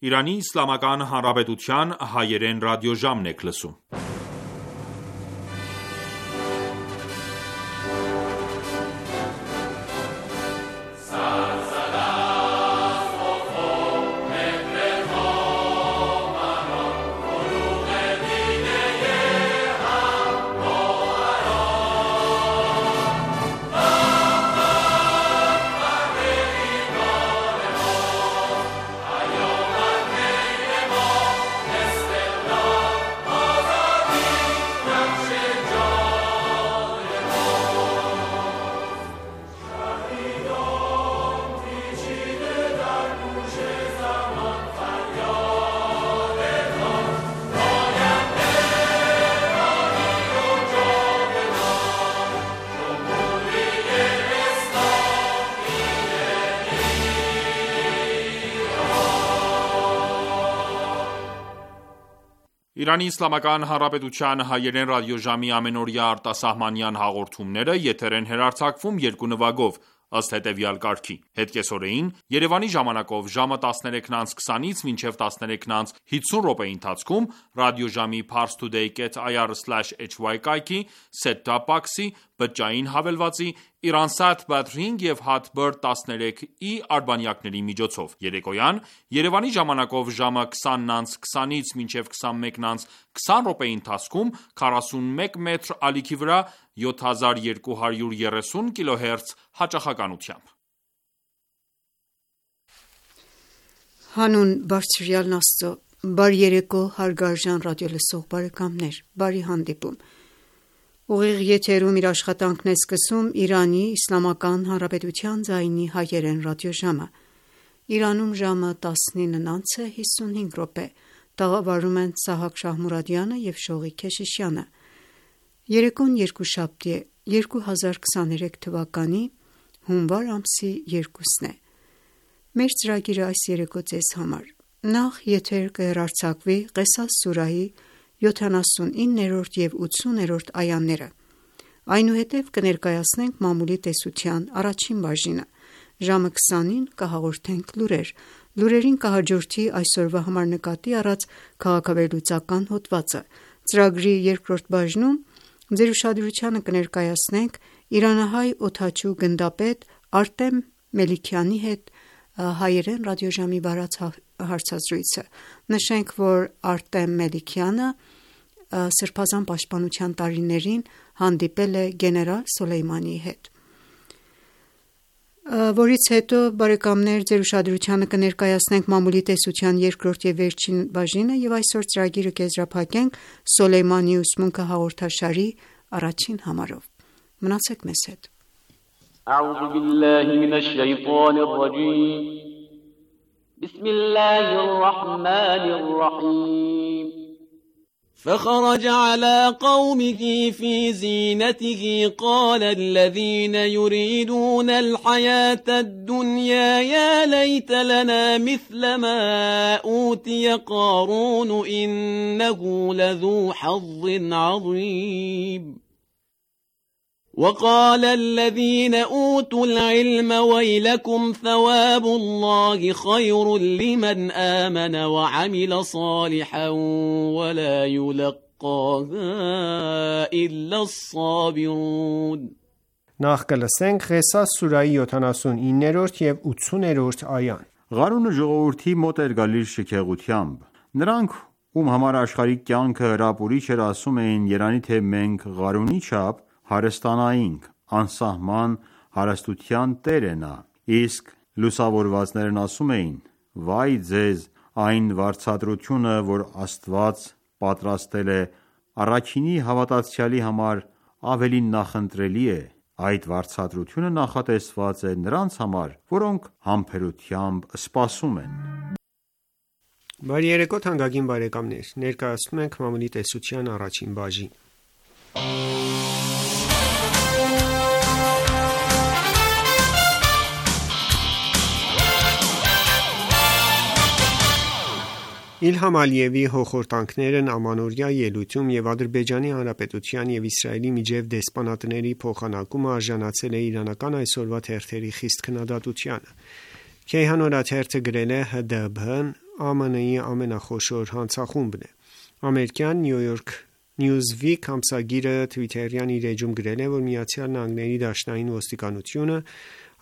Իրանի Իսլամական Հանրապետության հայերեն ռադիոժամն եք լսում: Իրանի Իսլամական Հանրապետության հայերեն ռադիոժամի ամենօրյա արտասահմանյան հաղորդումները եթեր են հեռարձակվում երկու նվագով, ըստ հետևյալ կարգի: Հետկեսօրեին Երևանի ժամանակով ժամը 13:20-ից մինչև 13:50 րոպեի ընթացքում ռադիոժամի parstoday.ir/hy կայքի, set-top box-ի, բջջային հավելվածի, Iransat Batring և Hotbird 13i արբանյակների միջոցով: Երեկոյան Երևանի ժամանակով ժամը 20:20-ից մինչև 21:20 րոպեի ընթացքում 41 մետր ալիքի վրա 7230 kHz հաճախականությամբ: Հանուն բարձրյալն Աստծո, բարի երեկո հարգարժան ռադիոլսող բարեկամներ: Բարի հանդիպում: Ուղիղ եթերում իր աշխատանքն է սկսում Իրանի Իսլամական Հանրապետության ձայնի հայերեն ռադիոժամը: Իրանում ժամը 19:55 տաղավարում են Սահակ Շահմուրադյանը և Շողիկ Քեշիշյանը: Երեկոն երկուշաբթի է, 2023 թվականի հունվար ամսի 2-ն է: Մեր ծրագիրը այս երեկո ձեզ համար: Նախ եթեր կհեռարձակվի Ղեսաս սուրահի 79-րդ և 80-րդ այաները: Այնուհետև կներկայացնենք մամուլի տեսության առաջին բաժինը: Ժամը 20-ին կհաղորդենք լուրեր: Լուրերին կհաջորդի այսօրվա համար նկատի առած քաղաքավերլուծական հոդվածը: Ծրագրի երկրորդ բաժնում ձեր ուշադրությանը կներկայացնենք իրանահայ օդաչու գնդապետ Արտեմ Մելիքյանի հետ հայերեն ռադիոժամի վարած հարցազրույցը: Նշենք, որ Արտեմ Մելիքյանը Սրբազան պաշտպանության տարիներին հանդիպել է գեներալ Սոլեյմանիի հետ: Որից հետո ձեր ուշադրությանը կներկայացնենք մամուլի տեսության երկրորդ և վերջին բաժինը և այսօր ծրագիրը կեզրափակենք Սոլեյմանիի ուսմունքը հաղորդաշարի առաջին համարով: Մնացեք մեզ հետ: فخرج على قومه في زينته قال الذين يريدون الحياة الدنيا يا ليت لنا مثل ما أوتي قارون إنه لذو حظ عظيم وقال الذين أوتوا العلم ويلكم ثواب الله خير لمن آمن وعمل صالحا ولا يلقاها إلا الصابرون Նախ կլսենք Ղեսաս սուրահի 79-րդ և 80-րդ այան: Ղարունը ժողովրդի մոտ էր գալիս շքեղությամբ: Նրանք, ում համար աշխարհիկ կյանքը հրապուրիչ էր, ասում էին, երանի թե մենք Ղարունի չափ հարստանայինք: Անսահման հարստության տեր է նա: Իսկ լուսավորվածներն ասում էին. Վայ ձեզ այն վարձատրությունը, որ Աստված պատրաստել է առաքինի հավատացյալի համար, ավելի նախընտրելի է: Այդ վարձատրությունը նախատեսված է նրանց համար, որոնք համբերությամբ սպասում են: Բարի երեկո թանկագին բարեկամներ: Ներկայացնում ենք մամուլի տեսության առաջին բաժին: Իլհամ Ալիևի հոխորտանքներն ամանորյա ելույթում և Ադրբեջանի Հանրապետության և Իսրայելի միջև դեսպանատների փոխանակումը արժանացել է իրանական այսօրվա թերթերի խիստ քննադատությանը: Քեյհան օրաթերթը գրել է ՀԴԲ-ն ԱՄՆ-ի ամենախոշոր հանցախումբն է։ Ամերիկյան New York Newsweek ամսագիրը Twitter-յան իր էջում գրել է, որ ԱՄՆ-ի դաշնային ոստիկանությունը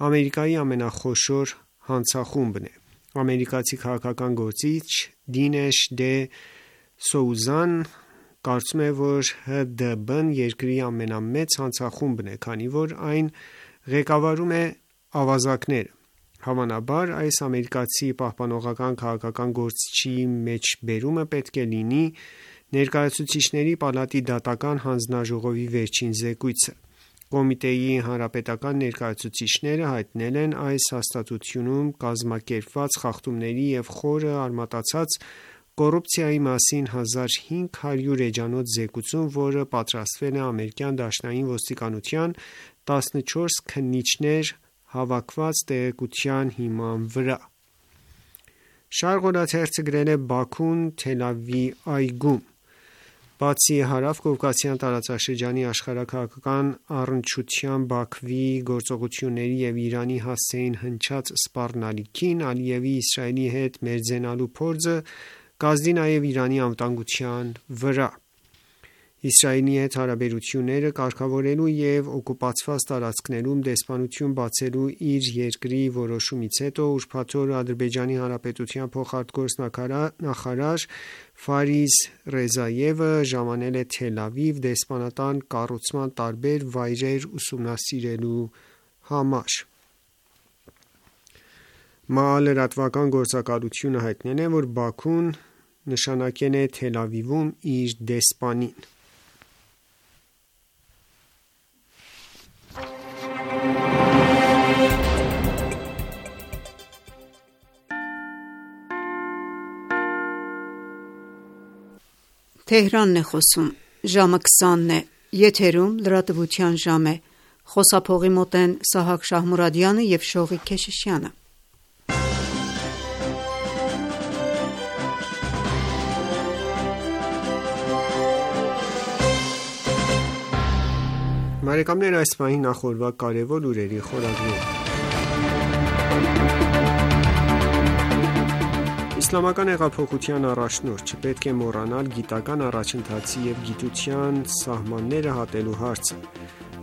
Ամերիկայի ամենախոշոր հանցախումբն է։ Ամերիկացի քաղաքական գործիչ Դինեշ Դե Սոուզան կարծում է, որ ՀԴԲ-ն երկրի ամենամեծ հանցախումբն է, քանի որ այն ղեկավարում է ավազակները։ Հավանաբար, այս ամերիկացի պահպանողական քաղաքական գործչի մեջբերումը պետք է լինի Ներկայացուցիչների պալատի դատական հանձնաժողովի վերջին զեկույցը։ Կոմիտեի հանրապետական ներկայացուցիչները հայտնել են այս հաստատությունում կազմակերպված խախտումների և խորը արմատացած կոռուպցիայի մասին 1500 էջանոց զեկույցում, որը պատրաստվել է ամերիկյան դաշնային ոստիկանության 14 քննիչներ հավաքված տեղեկության հիման վրա։ Շարղ օրաթերթը գրել է Բաքուն Թել Ավիվ այգում։ Բացի հարավ-կովկասյան տարածաշրջանի աշխարհաքաղաքական առնչությամբ Բաքվի գործողությունների և Իրանի հասցեին հնչած սպառնալիքին, Ալիևի Իսրայելի հետ մերձենալու փորձը կազդի նաև Իրանի անվտանգության վրա։ Իսրայելի հետ հարաբերությունները կարգավորելու և օկուպացված տարածքներում դեսպանություն բացելու իր երկրի որոշումից հետո ուրբաթ օրը Ադրբեջանի Հանրապետության փոխարտգործնախարար Ֆարիզ Ռեզայևը ժամանել է Թել Ավիվ դեսպանատան կառուցման տարբեր վայրեր ուսումնասիրելու համար։ ՄԱԱ լրատվական գործակալությունը հայտնել է, որ Բաքուն նշանակել է Թել Ավիվում իր դեսպանին։ Թեհրանն է խոսում, ժամը 20-ն է, եթերում լրատվության ժամ է, խոսափողի մոտ են Սահակ Շահմուրադյանը և Շողիկ Քեշիշյանը։ Բարեկամներ, այս պահին նախորդ կարևոր լուրերի խորագրում։ Իսլամական հեղափոխության առաջնորդ չպետք է մոռանալ գիտական առաջընթացի և գիտության սահմանները հատելու հարցը։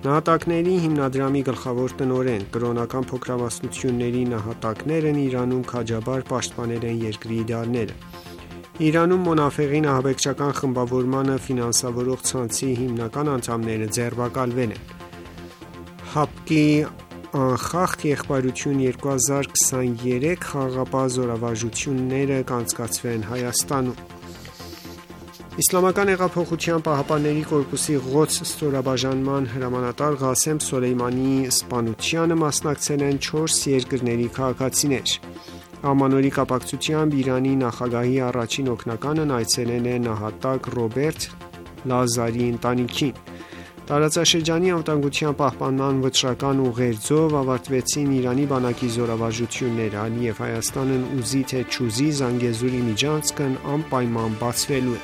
Նահատակների հիմնադրամի գլխավոր տնօրեն, կրոնական փոքրամասնությունների նահատակներն Իրանում քաջաբար պաշտպանել են երկրի իդեալները։ Իրանում Մոնաֆեղին ահաբեկչական խմբավորմանը ֆինանսավորող ցանցի հիմնական անդամները ձերբակալվել են։ ՀԱՊԿ-ի անխախտ եղբայրություն 2023 խաղաղապահ զորավարժությունները կանցկացվեն Հայաստանում։ Իսլամական հեղափոխության պահապանների կորպուսի Ղոդս ստորաբաժանման հրամանատար Ղասեմ Սոլեյմանիի սպանությանը մասնակցել են 4 երկրների քաղաքացիներ։ Ամանորի կապակցությամբ Իրանի նախագահի առաջին օգնականն այցելել է նահատակ Ռոբերտ Լազարի ընտանիքին։ Տարածաշրջանի անվտանգության պահպանման վճռական ուղերձով ավարտվեցին Իրանի բանակի զորավարժությունները, Ալիև Հայաստանն ուզի թե չուզի Զանգեզուրի միջանցքն անպայման բացվելու է։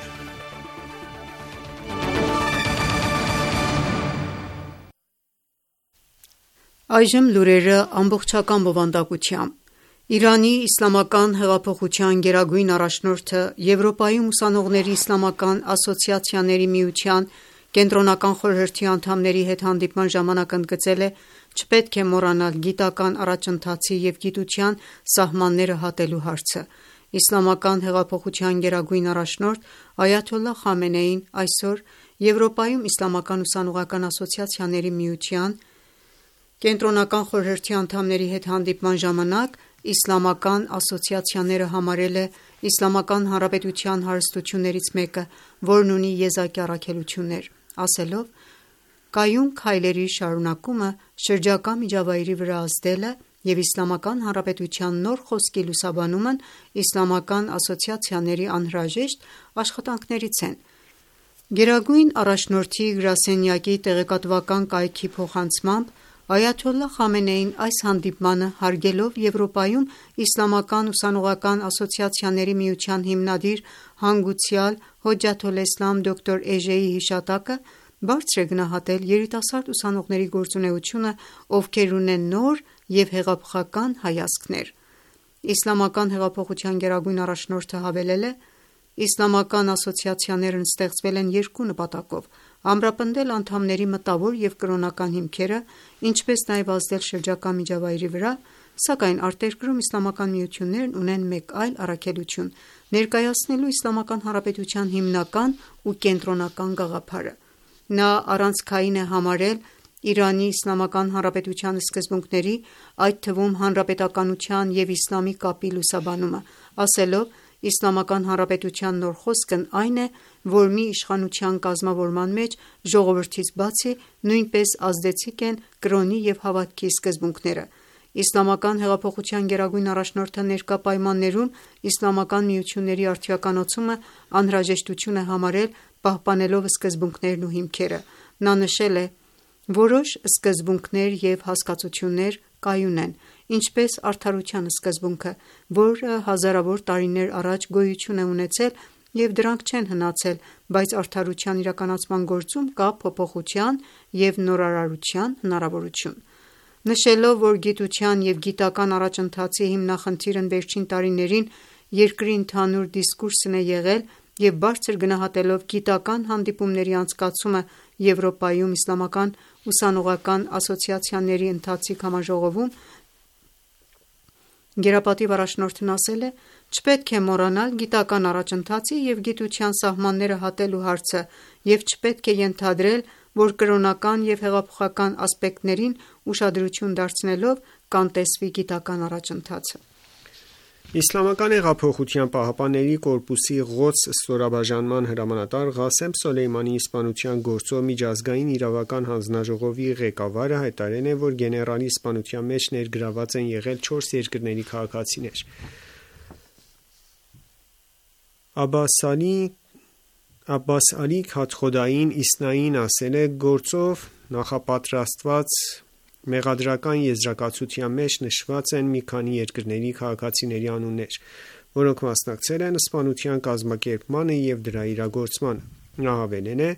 Այժմ լուրերը ամբողջական բովանդակությամբ։ Իրանի իսլամական հեղափոխության գերագույն առաջնորդը Եվրոպայում ուսանողների իսլամական ասոցիացիաների միության կենտրոնական խորհրդի անդամների հետ հանդիպման ժամանակ ընդգծել է չպետք է մոռանալ գիտական առաջընթացի և գիտության սահմանները հատելու հարցը։ Իսլամական հեղափոխության գերագույն առաջնորդ Այաթոլլահ Խամենեին այսօր Եվրոպայում իսլամական ուսանողական ասոցիացիաների միության կենտրոնական խորհրդի անդամների հետ հանդիպման ժամանակ իսլամական ասոցիացիաները համարել է Իսլամական Հանրապետության հարստություններից մեկը, որն ունի եզակի առաքելություններ, ասելով. «Կայուն քայլերի շարունակումը շրջակա միջավայրի վրա ազդելը և Իսլամական Հանրապետության նոր խոսքի լուսաբանումն իսլամական ասոցիացիաների անհրաժեշտ աշխատանքներից են»։ Գերագույն առաջնորդի գրասենյակի տեղեկատվական կայքի փոխանցմամբ Այաթոլլահ Խամենեին այս հանդիպմանը հարգելով Եվրոպայում իսլամական ուսանողական ասոցիացիաների միության հիմնադիր հանգուցյալ Հոջաթոլէսլամ դոկտոր Էժեի հիշատակը, բարձր է գնահատել երիտասարդ ուսանողների գործունեությունը, ովքեր ունեն նոր և հեղափոխական հայացքներ։ Իսլամական հեղափոխության գերագույն առաջնորդը հավելել է. «Իսլամական ասոցիացիաներն ստեղծվել են երկու նպատակով՝ ամրապնդել անդամների մտավոր և կրոնական հիմքերը, ինչպես նաև ազդել շրջակա միջավայրի վրա, սակայն արտերկրում իսլամական միություններն ունեն մեկ այլ առաքելություն՝ ներկայացնելու Իսլամական Հանրապետության հիմնական ու կենտրոնական գաղափարը»։ Նա առանցքային է համարել Իրանի Իսլամական Հանրապետության սկզբունքների, այդ թվում հանրապետականության և իսլամի կապի լուսաբանումը, ասելով. «Իսլամական Հանրապետության նոր խոսքն այն է, որ մի իշխանության կազմավորման մեջ ժողովրդից բացի նույնպես ազդեցիկ են կրոնի և հավատքի սկզբունքները»։ Իսլամական հեղափոխության գերագույն առաջնորդը ներկա պայմաններում իսլամական միությունների արդիականացումը անհրաժեշտություն է համարել՝ պահպանելով սկզբունքներն ու հիմքերը։ Նա նշել է. «Որոշ սկզբունքներ և հասկացություններ կայուն են, ինչպես արդարության սկզբունքը, որը հազարավոր տարիներ առաջ գոյություն է ունեցել և դրանք չեն հնացել, բայց արդարության իրականացման գործում կա փոփոխության և նորարարության հնարավորություն»։ Նշելով, որ գիտության և գիտական առաջընթացի հիմնախնդիրն վերջին տարիներին երկրի ընդհանուր դիսկուրսն է եղել և բարձր գնահատելով գիտական հանդիպումների անցկացումը Եվրոպայում իսլամական ուսանողական ասոցիացիաների ընթացիկ համաժողովում, գերապատիվ առաջնորդն ասել է. «Չպետք է մոռանալ գիտական առաջընթացի և գիտության սահմանները հատելու հարցը և չպետք է ենթադրել, որ կրոնական և հեղափոխական ասպեկտներին ուշադրություն դարձնելով կանտեսվի գիտական առաջընթացը»։ Իսլամական հեղափոխության պահապանների կորպուսի Ղոդս ստորաբաժանման հրամանատար Ղասեմ Սոլեյմանիի սպանության գործով միջազգային իրավական հանձնաժողովի ղեկավարը հայտարարել է, որ գեներալի սպանության մեջ ներգրավված են եղել 4 երկրների քաղաքացիներ։ Աբբաս Ալի Քաթխոդային Իսնային ասել է. «Գործով նախապատրաստված մեղադրական եզրակացության մեջ նշված են մի քանի երկրների քաղաքացիների անուններ, որոնք մասնակցել են սպանության կազմակերպմանը և դրա իրագործմանը»։ Նա հավելել է.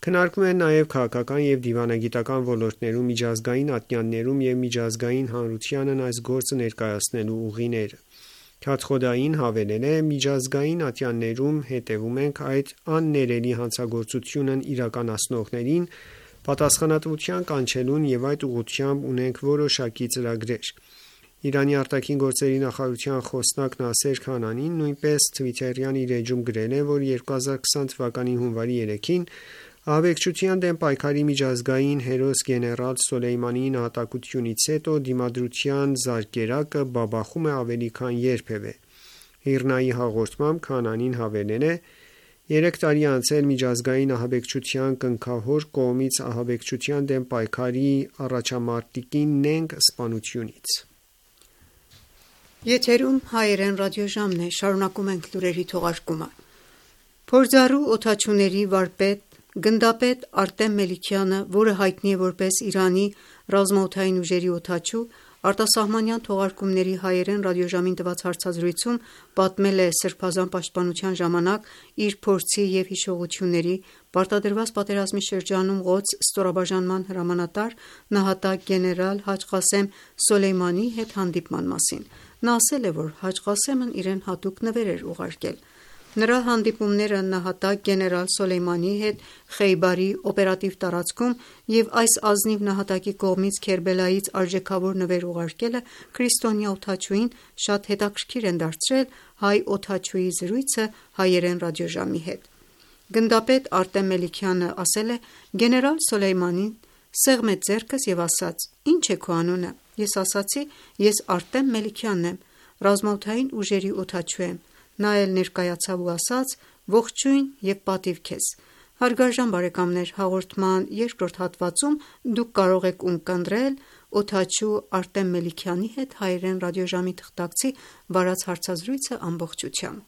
«Քննարկվում են նաև քաղաքական և դիվանագիտական ոլորտներում միջազգային ատյաններում և միջազգային հանրությանն այս գործը ներկայացնելու ուղիները»։ Քաթխոդային հավելել է. «Միջազգային ատյաններում հետևում ենք այդ աններելի հանցագործությունն իրականացնողներին պատասխանատվության կանչելուն և այդ ուղղությամբ ունենք որոշակի ծրագրեր»։ Իրանի ԱԳ նախարարության խոսնակ Նասեր Քանանին նույնպես թվիթերյան իր էջում գրել է, որ 2020 թվականի հունվարի 3-ին ահաբեկչության դեմ պայքարի միջազգային հերոս գեներալ Սոլեյմանիի նահատակությունից հետո դիմադրության զարկերակը բաբախում է ավելի քան երբևէ։ ԻՌՆԱ-ի հաղորդմամբ Քանանին հավելել է. «3 տարի է անցել միջազգային ահաբեկչության կնքահոր կողմից ահաբեկչության դեմ պայքարի առաջամարտիկի նենգ սպանությունից»։ Փորձառու օդաչուների վարպետ, գնդապետ Արտեմ Մելիքյանը, որը հայտնի է որպես Իրանի ռազմաօդային ուժերի օդաչու, արտասահմանյան թողարկումների հայերեն ռադիոժամին տված հարցազրույցում պատմել է Սրբազան պաշտպանության ժամանակ իր փորձի և հիշողությունների, պարտադրված պատերազմի շրջանում Ղոդս ստորաբաժանման հրամանատար նահատակ գեներալ Հաջ Ղասեմ Սոլեյմանիի հետ հանդիպման մասին։ Նա ասել է, որ Հաջ Ղասեմն իրեն հատուկ նվեր էր ուղարկել։ Նրա հանդիպումները նահատակ գեներալ Սոլեյմանիի հետ Խեյբարի օպերատիվ տարածքում և այս ազնիվ նահատակի կողմից Քերբելայից արժեքավոր նվեր ուղարկելը քրիստոնյա օդաչուին շատ հետաքրքիր են դարձրել հայ օդաչուի զրույցը հայերեն ռադիոժամի հետ։ Գնդապետ Արտեմ Մելիքյանը ասել է. «Գեներալ Սոլեյմանին սեղմեց ձեռքս և ասաց. «Ի՞նչ է քո անունը»։ Ես ասացի. «Ես Արտեմ Մելիքյանն եմ, ռազմաօդային ուժերի օդաչու եմ»։ Նա էլ ներկայացավ ու ասաց. «Ողջույն և պատիվ քեզ»։ Հարգարժան բարեկամներ, հաղորդման երկրորդ հատվածում դուք կարող եք ունկնդրել օդաչու Արտեմ Մելիքյանի հետ հայերեն ռադիոժամի թղթակցի վարած հարցազրույցը ամբողջությամբ։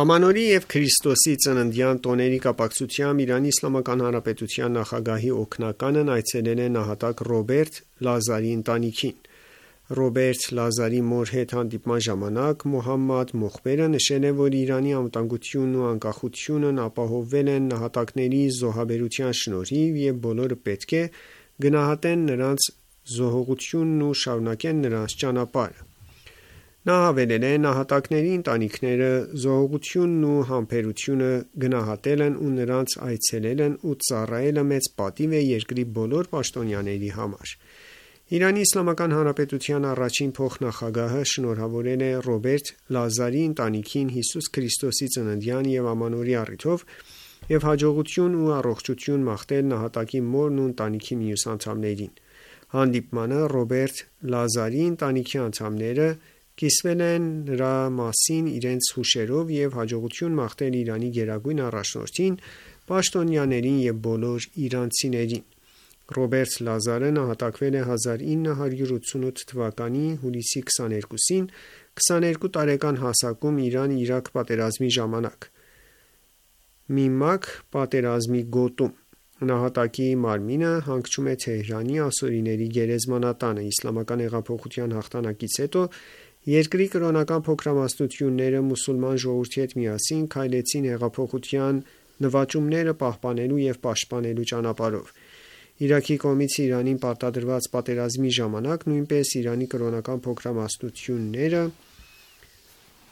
Ամանորի և Քրիստոսի ծննդյան տոների կապակցությամբ ԻԻՀ նախագահի օգնականն այցելել է նահատակ Ռոբերտ Լազարի ընտանիքին։ Ռոբերտ Լազարի մոր հետ հանդիպման ժամանակ Մոհամմադ Մոխբերը նշել է, որ Իրանի անվտանգությունն ու անկախությունն ապահովվել են նահատակների զոհաբերության շնորհիվ և բոլորը պետք է գնահատեն նրանց զոհողությունն ու շարունակեն նրանց ճանապարհը։ Նա հավելել է. «Նահատակների ընտանիքները զոհողությունն ու համբերությունը գնահատել են ու նրանց այցելելն ու ծառայելը մեծ պատիվ է երկրի բոլոր պաշտոնյաների համար»: Իրանի Իսլամական Հանրապետության առաջին փոխնախագահը շնորհավորել է Ռոբերտ Լազարի ընտանիքին Հիսուս Քրիստոսի ծննդյան և ամանորյա առիթով և հաջողություն ու առողջություն մաղթել նահատակի մորն ու ընտանիքի մյուս անդամներին: Հանդիպմանը Ռոբերտ Լազարի ընտանիքի անդամները կիսվել են նրա մասին իրենց հուշերով և հաջողություն մաղթել Իրանի գերագույն առաջնորդին, պաշտոնյաներին և բոլոր իրանցիներին: Ռոբերտ Լազարը նահատակվել է 1988 թվականի հուլիսի 22-ին 22 տարեկան հասակում Իրան-Իրաք պատերազմի ժամանակ Միմակ պատերազմի գոտում: Նահատակի մարմինը հանգչում է Թեհրանի ասորիների գերեզմանատանը: Իսլամական հեղափոխության հաղթանակից հետո երկրի կրոնական փոքրամասնությունները մուսուլման ժողովրդի հետ միասին քայլեցին հեղափոխության նվաճումները պահպանելու և պաշտպանելու ճանապարհով: Իրաքի կողմից Իրանին պարտադրված պատերազմի ժամանակ նույնպես Իրանի կրոնական փոքրամասնությունները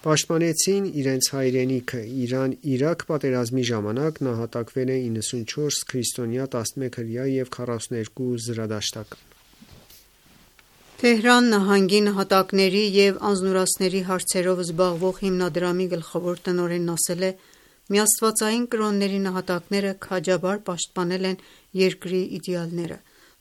պաշտպանեցին իրենց հայրենիքը: Իրան-Իրաք պատերազմի ժամանակ նահատակվել է 94 քրիստոնյա, 11 հրեա և 42 զրադաշտական: Թեհրան նահանգի նահատակների և անձնուրացների հարցերով զբաղվող հիմնադրամի գլխավոր տնօրենն ասել է. «Միաստվածային կրոնների նահատակները քաջաբար պաշտպանել են երկրի իդեալները»: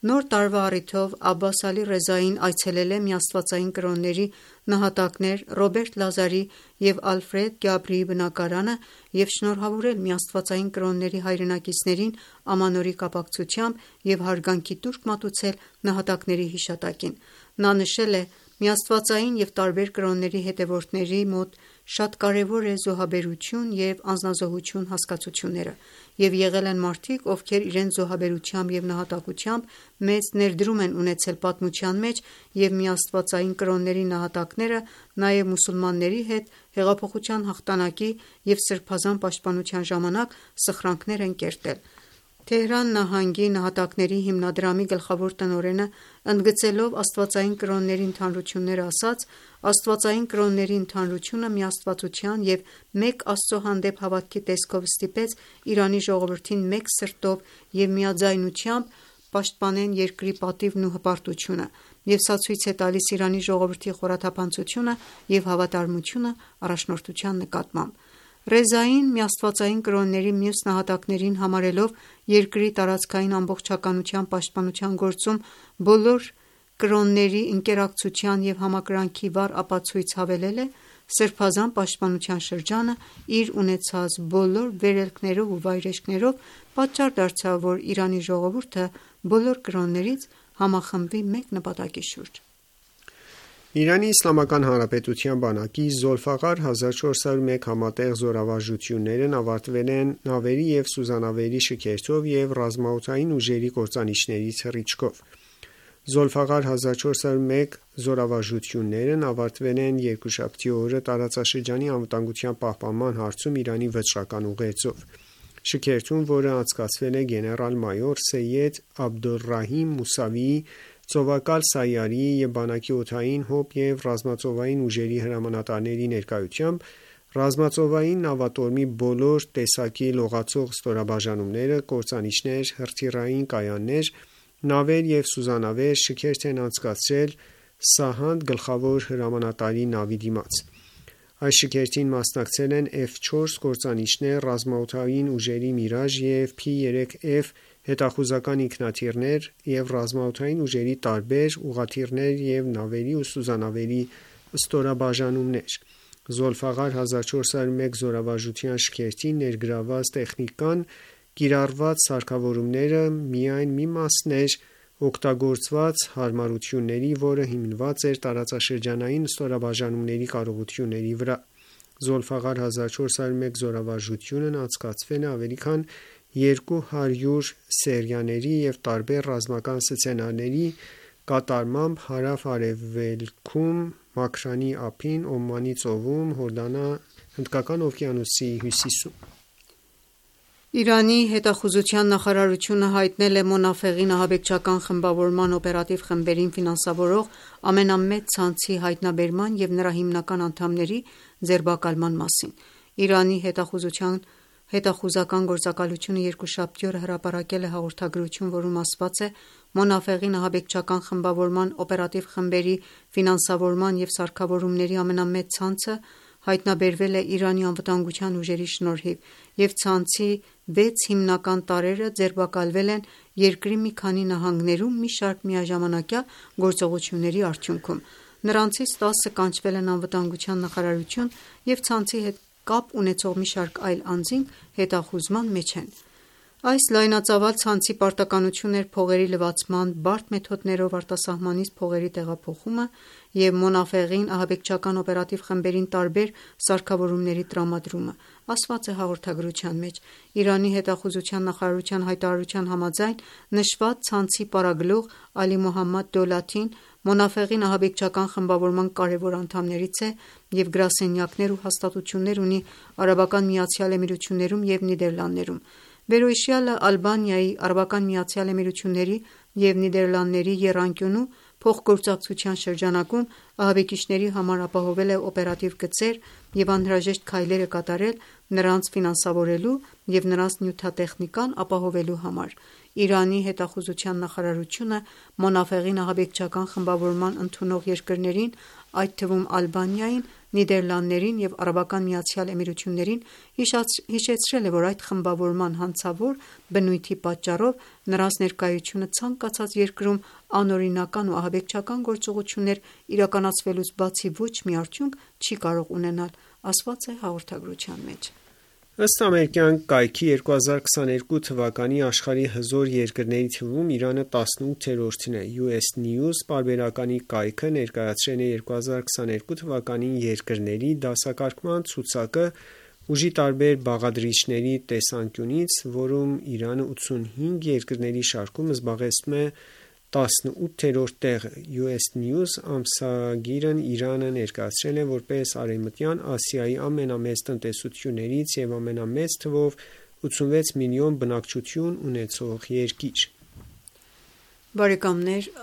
Նոր տարվա առիթով Աբբաս Ալի Ռեզային այցելել է Միաստվածային կրոնների նահատակներ Ռոբերտ Լազարի և Ալֆրեդ Գաբրիի բնակարանը և շնորհավորել միաստվածային կրոնների հայրենակիցներին ամանորի կապակցությամբ և հարգանքի տուրք մատուցել նահատակների հիշատակին: Նա նշել է. «Միաստվածային և տարբեր կրոնների հետևորդների մոտ շատ կարևոր է զոհաբերություն և անձնազոհություն հասկացությունները և եղել են մարդիկ, ովքեր իրենց զոհաբերությամբ և նահատակությամբ մեծ ներդրում են ունեցել պատմության մեջ և միաստվածային կրոնների նահատակները նաև մուսուլմանների հետ հեղափոխության հաղթանակի և սրբազան պաշտպանության ժամանակ սխրանքներ են կերտել»: Թեհրան նահանգի նահատակների հիմնադրամի գլխավոր տնօրենը ընդգծելով աստվածային կրոնների ընդհանրությունները ասաց. «Աստվածային կրոնների ընդհանրությունը միաստվածության և մեկ Աստծո հանդեպ հավատքի տեսքով ստիպեց Իրանի ժողովրդին մեկ սրտով և միաձայնությամբ պաշտպանեն երկրի պատիվն ու հպարտությունը և սա ցույց է տալիս Իրանի ժողովրդի խորաթափանցությունը և հավատարմությունը առաջնորդության նկատմամբ»: Ռեզային միաստվածային կրոնների մյուս նահատակներին համարելով երկրի տարածքային ամբողջականության պաշտպանության գործում բոլոր կրոնների ընկերակցության և համակրանքի վառ ապացույց հավելել է. «Սրբազան պաշտպանության շրջանը իր ունեցած բոլոր վերելքներով ու վայրէջքներով պատճառ դարձավ, որ Իրանի ժողովուրդը բոլոր կրոններից համախմբվի մեկ նպատակի շուրջ»: Իրանի Իսլամական Հանրապետության բանակի Զոլֆաղար 1401 համատեղ զորավարժություններն ավարտվել են նավերի և սուզանավերի շքերթով և ռազմաօդային ուժերի կործանիչների թռիչքով: Զոլֆաղար 1401 զորավարժություններն ավարտվել են երկուշաբթի օրը տարածաշրջանի անվտանգության պահպանման հարցում Իրանի վճռական ուղերձով: Շքերթում, որը անցկացվել է գեներալ-մայոր Սեյեդ Աբդոլռահիմ Մուսավիի, ծովակալ Սայարիի և բանակի օդային, հոբ և ռազմածովային ուժերի հրամանատարների ներկայությամբ, ռազմածովային նավատորմի բոլոր տեսակի լողացող ստորաբաժանումները, կործանիչներ, հրթիռային կայաններ, նավեր և սուզանավեր շքերթ են անցկացրել Սահանդ գլխավոր հրամանատարի նավի դիմաց: Այս շքերթին մասնակցել են F4 կործանիչներ, ռազմաօդային ուժերի Միրաժ և P3F հետախուզական ինքնաթիռներ և ռազմաօդային ուժերի տարբեր ուղղաթիռներ և նավերի ու սուզանավերի ստորաբաժանումներ: Զոլֆաղար 1401 զորավարժության շքերթին ներգրավված տեխնիկան կիրառված սարքավորումները միայն մի մասն էր օգտագործված հարմարությունների, որը հիմնված էր տարածաշրջանային ստորաբաժանումների կարողությունների վրա: Զոլֆաղար 1401 զորավարժությունն անցկացվել է ավելի քան 200 սերիաների և տարբեր ռազմական սցենարների կատարմամբ հարավ-արևելքում Մաքրանի ափին, Օմանի ծովում, Հորդանան, Հնդկական օվկիանոսի հյուսիսում: Իրանի հետախուզության նախարարությունը հայտնել է Մոնաֆեղին ահաբեկչական խմբավորման օպերատիվ խմբերին ֆինանսավորող ամենամեծ ցանցի հայտնաբերման և նրա հիմնական անդամների ձերբակալման մասին։ Իրանի հետախուզական գործակալությունը երկուշաբթի օրը հրապարակել է հաղորդագրություն, որում ասված է. «Մոնաֆեղին ահաբեկչական խմբավորման օպերատիվ խմբերի ֆինանսավորման և սարքավորումների ամենամեծ ցանցը հայտնաբերվել է Իրանի անվտանգության ուժերի շնորհիվ, և ցանցի 6 հիմնական տարրերը ձերբակալվել են երկրի մի քանի նահանգներում մի շարք միաժամանակյա գործողությունների արդյունքում։ Նրանցից 10-ը կանչվել են անվտանգության նախարարություն և ցանցի հետ կապ ունեցող մի շարք այլ անձինք հետախուզման մեջ են»։ Այս լայնածավալ ցանցի պարտականությունն էր փողերի լվացման, բարդ մեթոդներով արտասահմանից փողերի տեղափոխումը և Մոնաֆեղին ահաբեկչական օպերատիվ խմբերին տարբեր սարքավորումների տրամադրումը, ասված է հաղորդագրության մեջ։ Իրանի հետախուզության նախարարության հայտարարության համաձայն, նշված ցանցի պարագլուխ Ալի Մոհամմադ Դոլաթին Մոնաֆեղին ահաբեկչական խմբավորման կարևոր անդամներից է և գրասենյակներ ու հաստատություններ ունի ԱՄԷ-ում և Նիդերլանդներում։ Վերոհիշյալը Ալբանիայի, ԱՄԷ-ի և Նիդերլանդների եռանկյունու փոխգործակցության շրջանակում ահաբեկիչների համար ապահովել է օպերատիվ գծեր և անհրաժեշտ քայլեր է կատարել նրանց ֆինանսավորելու և նրանց նյութատեխնիկան ապահովելու համար։ Իրանի հետախուզության նախարարությունը Մոնաֆեղին ահաբեկչական խմբավորման ընդունող երկրներին, այդ թվում Ալբանիային, Նիդերլանդներին և ԱՄԷ-ին հիշեցրել է, որ այդ խմբավորման հանցավոր բնույթի պատճառով նրանց ներկայությունը ցանկացած երկրում անօրինական ու ահաբեկչական գործողություններ իրականացվելուց բացի ոչ մի արդյունք չի կարող ունենալ, ասված է հաղորդագրության մեջ։ Ըստ ամերիկյան կայքի 2022 թվականի աշխարհի հզոր երկրների թվում Իրանը 18-րդն է։ US News պարբերականի կայքը ներկայացրել է 2022 թվականին երկրների դասակարգման ցուցակը ուժի տարբեր բաղադրիչների տեսանկյունից, որում Իրանը 85 երկրների շարքում զբաղեցնում է 18-րդ տեղը։ US News ամսագիրն Իրանը ներկայացրել է որպես Արևմտյան Ասիայի ամենամեծ տնտեսություններից և ամենամեծ թվով 86 միլիոն բնակչություն ունեցող երկիր։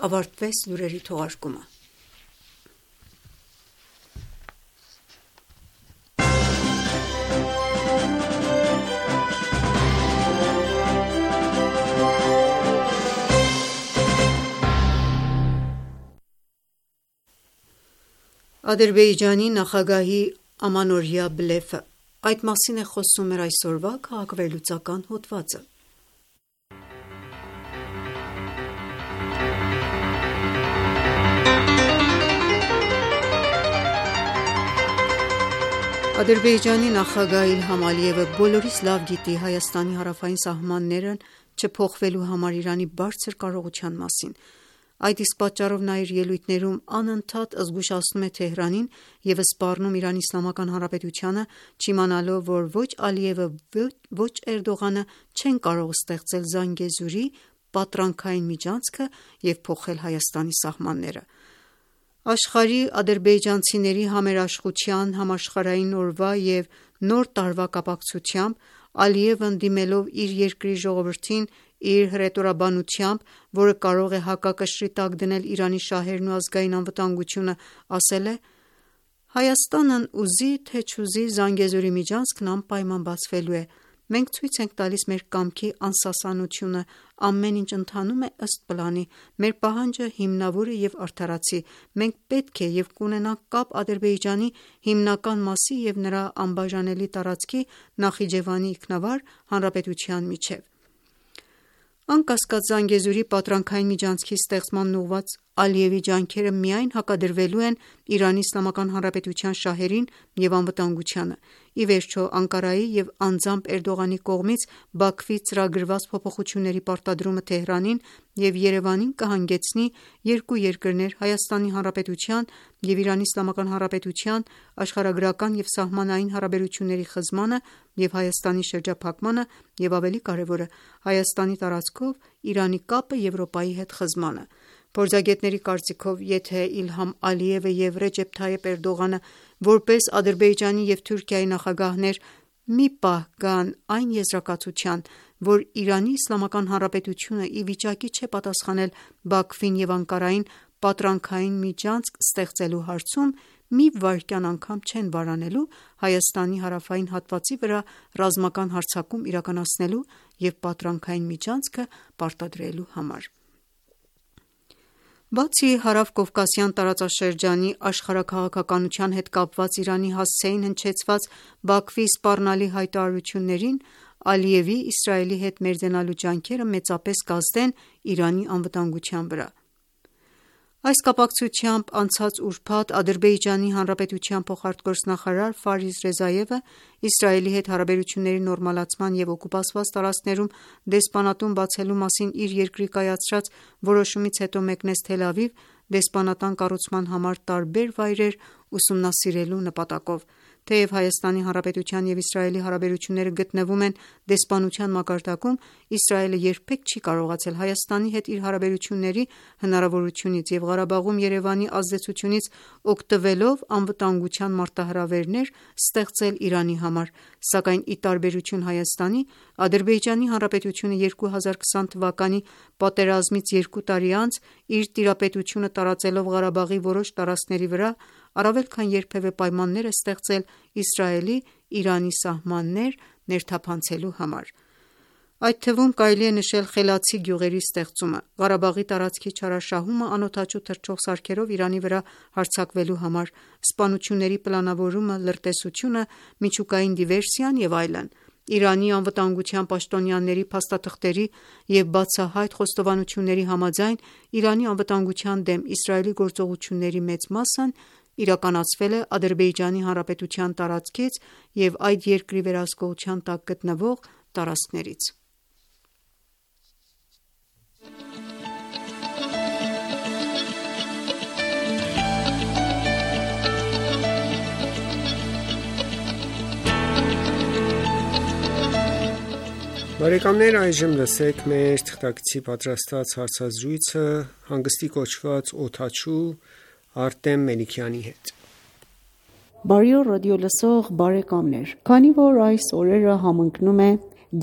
Ավարտվեց լուրերի թողարկումը։ Ադրբեջանի նախագահի ամանորյա բլեֆը։ Այդ մասին է խոսում մեր այսօրվա քաղաքվերլուծական հոդվածը։ Ադրբեջանի նախագահ Իլհամ Ալիևը բոլորիս լավ գիտի Հայաստանի հարավային սահմաններն չփոխվելու համար Իրանի բարձր կարողության մասին։ Այդ իսկ պատճառով նա իր ելույթներում անընդհատ զգուշացնում է Թեհրանին և սպառնում ԻԻՀ-ը, չիմանալով, որ ոչ Ալիևը, ոչ Էրդողանը չեն կարող ստեղծել Զանգեզուրի պատրանքային միջանցքը և փոխել Հայաստանի սահմանները։ Աշխարհի ադրբեջանցիների համերաշխության, Համաշխարհային օրվա և Նոր տարվա կապակցությամբ Ալիևն դիմելով իր երկրի ժողովրդին իր հռետորաբանությամբ, որը կարող է հակակշռի տակ դնել Իրանի շահերն ու ազգային անվտանգությունը, ասել է. «Հայաստանն ուզի թե չուզի Զանգեզուրի միջանցքն անպայման բացվելու է։ Մենք ցույց ենք տալիս մեր կամքի անսասանությունը, ամեն ինչ ընթանում է ըստ պլանի։ Մեր պահանջը հիմնավոր է և արդարացի։ Մենք պետք է և կունենանք կապ Ադրբեջանի հիմնական մասի և նրա անբաժանելի տարածքի Նախիջևանի ինքնավար հանրապետության միջև»։ Անկասկած, Զանգեզուրի պատրանքային միջանցքի ստեղծմանն ուղղված Ալիևի ջանքերը միայն հակադրվելու են ԻԻՀ շահերին և անվտանգությանը։ Ի վերջո, Անկարայի և անձամբ Էրդողանի կողմից Բաքվի ծրագրված փոփոխությունների պարտադրումը Թեհրանին և Երևանին կհանգեցնի երկու երկրներ՝ ՀՀ-ի և ԻԻՀ աշխարհագրական և սահմանային հարաբերությունների խզմանը և Հայաստանի շրջափակմանը և ավելի կարևորը՝ Հայաստանի տարածքով Իրանի կապը Եվրոպայի հետ խզմանը։ Փորձագետների կարծիքով, եթե Իլհամ Ալիևը և Ռեջեփ Թայիփ Էրդողանը որպես Ադրբեջանի և Թուրքիայի նախագահներ մի պահ գան այն եզրակացության, որ Իրանի Իսլամական Հանրապետությունը ի վիճակի չէ պատասխանել Բաքվին և Անկարային պատրանքային միջանցք ստեղծելու հարցում, մի վայրկյան անգամ չեն վարանելու Հայաստանի հարավային հատվածի վրա ռազմական հարձակում իրականացնելու և պատրանքային միջանցքը պարտադրելու համար։ Բացի հարավկովկասյան տարածաշրջանի աշխարհաքաղաքականության հետ կապված Իրանի հասցեին հնչեցված Բաքվի սպառնալի հայտարարություններին, Ալիևի Իսրայելի հետ մերձենալու ջանքերը մեծապես կազդեն Իրանի անվտանգության վրա։ Այս կապակցությամբ անցած ուրբաթ Ադրբեջանի Հանրապետության փոխարտգործնախարար Ֆարիզ Ռեզայևը Իսրայելի հետ հարաբերությունների նորմալացման և օկուպացված տարածքներում դեսպանատուն բացելու մասին իր երկրի կայացրած որոշումից հետո մեկնեց Թել Ավիվ դեսպանատան կառուցման համար տարբեր վայրեր ուսումնասիրելու նպատակով։ Թեև Հայաստանի Հանրապետության և Իսրայելի հարաբերությունները գտնվում են դեսպանության մակարդակում, Իսրայելը երբեք չի կարողացել Հայաստանի հետ իր հարաբերությունների հնարավորությունից և Ղարաբաղում Երևանի ազդեցությունից օգտվելով անվտանգության մարտահրավերներ ստեղծել Իրանի համար, սակայն ի տարբերություն Հայաստանի, Ադրբեջանի Հանրապետությունը 2020 թվականի պատերազմից 2 տարի անց իր տիրապետությունը տարածելով Ղարաբաղի որոշ տարածքների վրա, առավել քան երբևէ պայմաններ է ստեղծել Իսրայելի Իրանի սահմաններ ներթափանցելու համար։ Այդ թվում կարելի է նշել Խելացի գյուղերի ստեղծումը, Ղարաբաղի տարածքի չարաշահումը անօդաչու թռչող սարքերով Իրանի վրա հարձակվելու համար, սպանությունների պլանավորումը, լրտեսությունը, միջուկային դիվերսիան և այլն։ Իրանի անվտանգության պաշտոնյաների փաստաթղթերի և բացահայտ խոստովանությունների համաձայն Իրանի անվտանգության դեմ Իսրայելի գործողությունների մեծ մասն իրականացվել է Ադրբեջանի Հանրապետության տարածքից և այդ երկրի վերահսկողության տակ գտնվող տարածքներից։ Բարեկամներ, այժմ լսեք մեր թղթակցի պատրաստած հարցազրույցը հանգստի կոչված օդաչու Արտեմ Մելիքյանի հետ։ Բարի օր ռադիո լսող բարեկամներ, քանի որ այս օրերը համընկնում է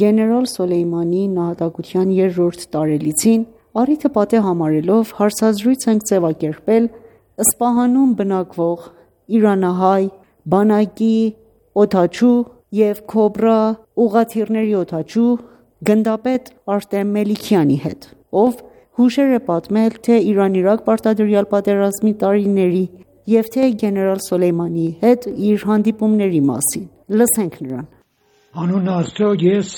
գեներալ Սոլեյմանի նահատակության 3-րդ տարելիցին, առիթը պատեհ համարելով հարցազրույց ենք ձևակերպել Սպահանում բնակվող իրանահայ բանակի օդաչու և Քոբրա ուղղաթիռների օդաչու գնդապետ Արտեմ Մելիքյանի հետ, ով հուշեր է պատմել թե Իրան-Իրաք պարտադրյալ պատերազմի տարիների և թե գեներալ Սոլեյմանի հետ իր հանդիպումների մասին։ Լսենք նրան։ Անուն Աստծո, ես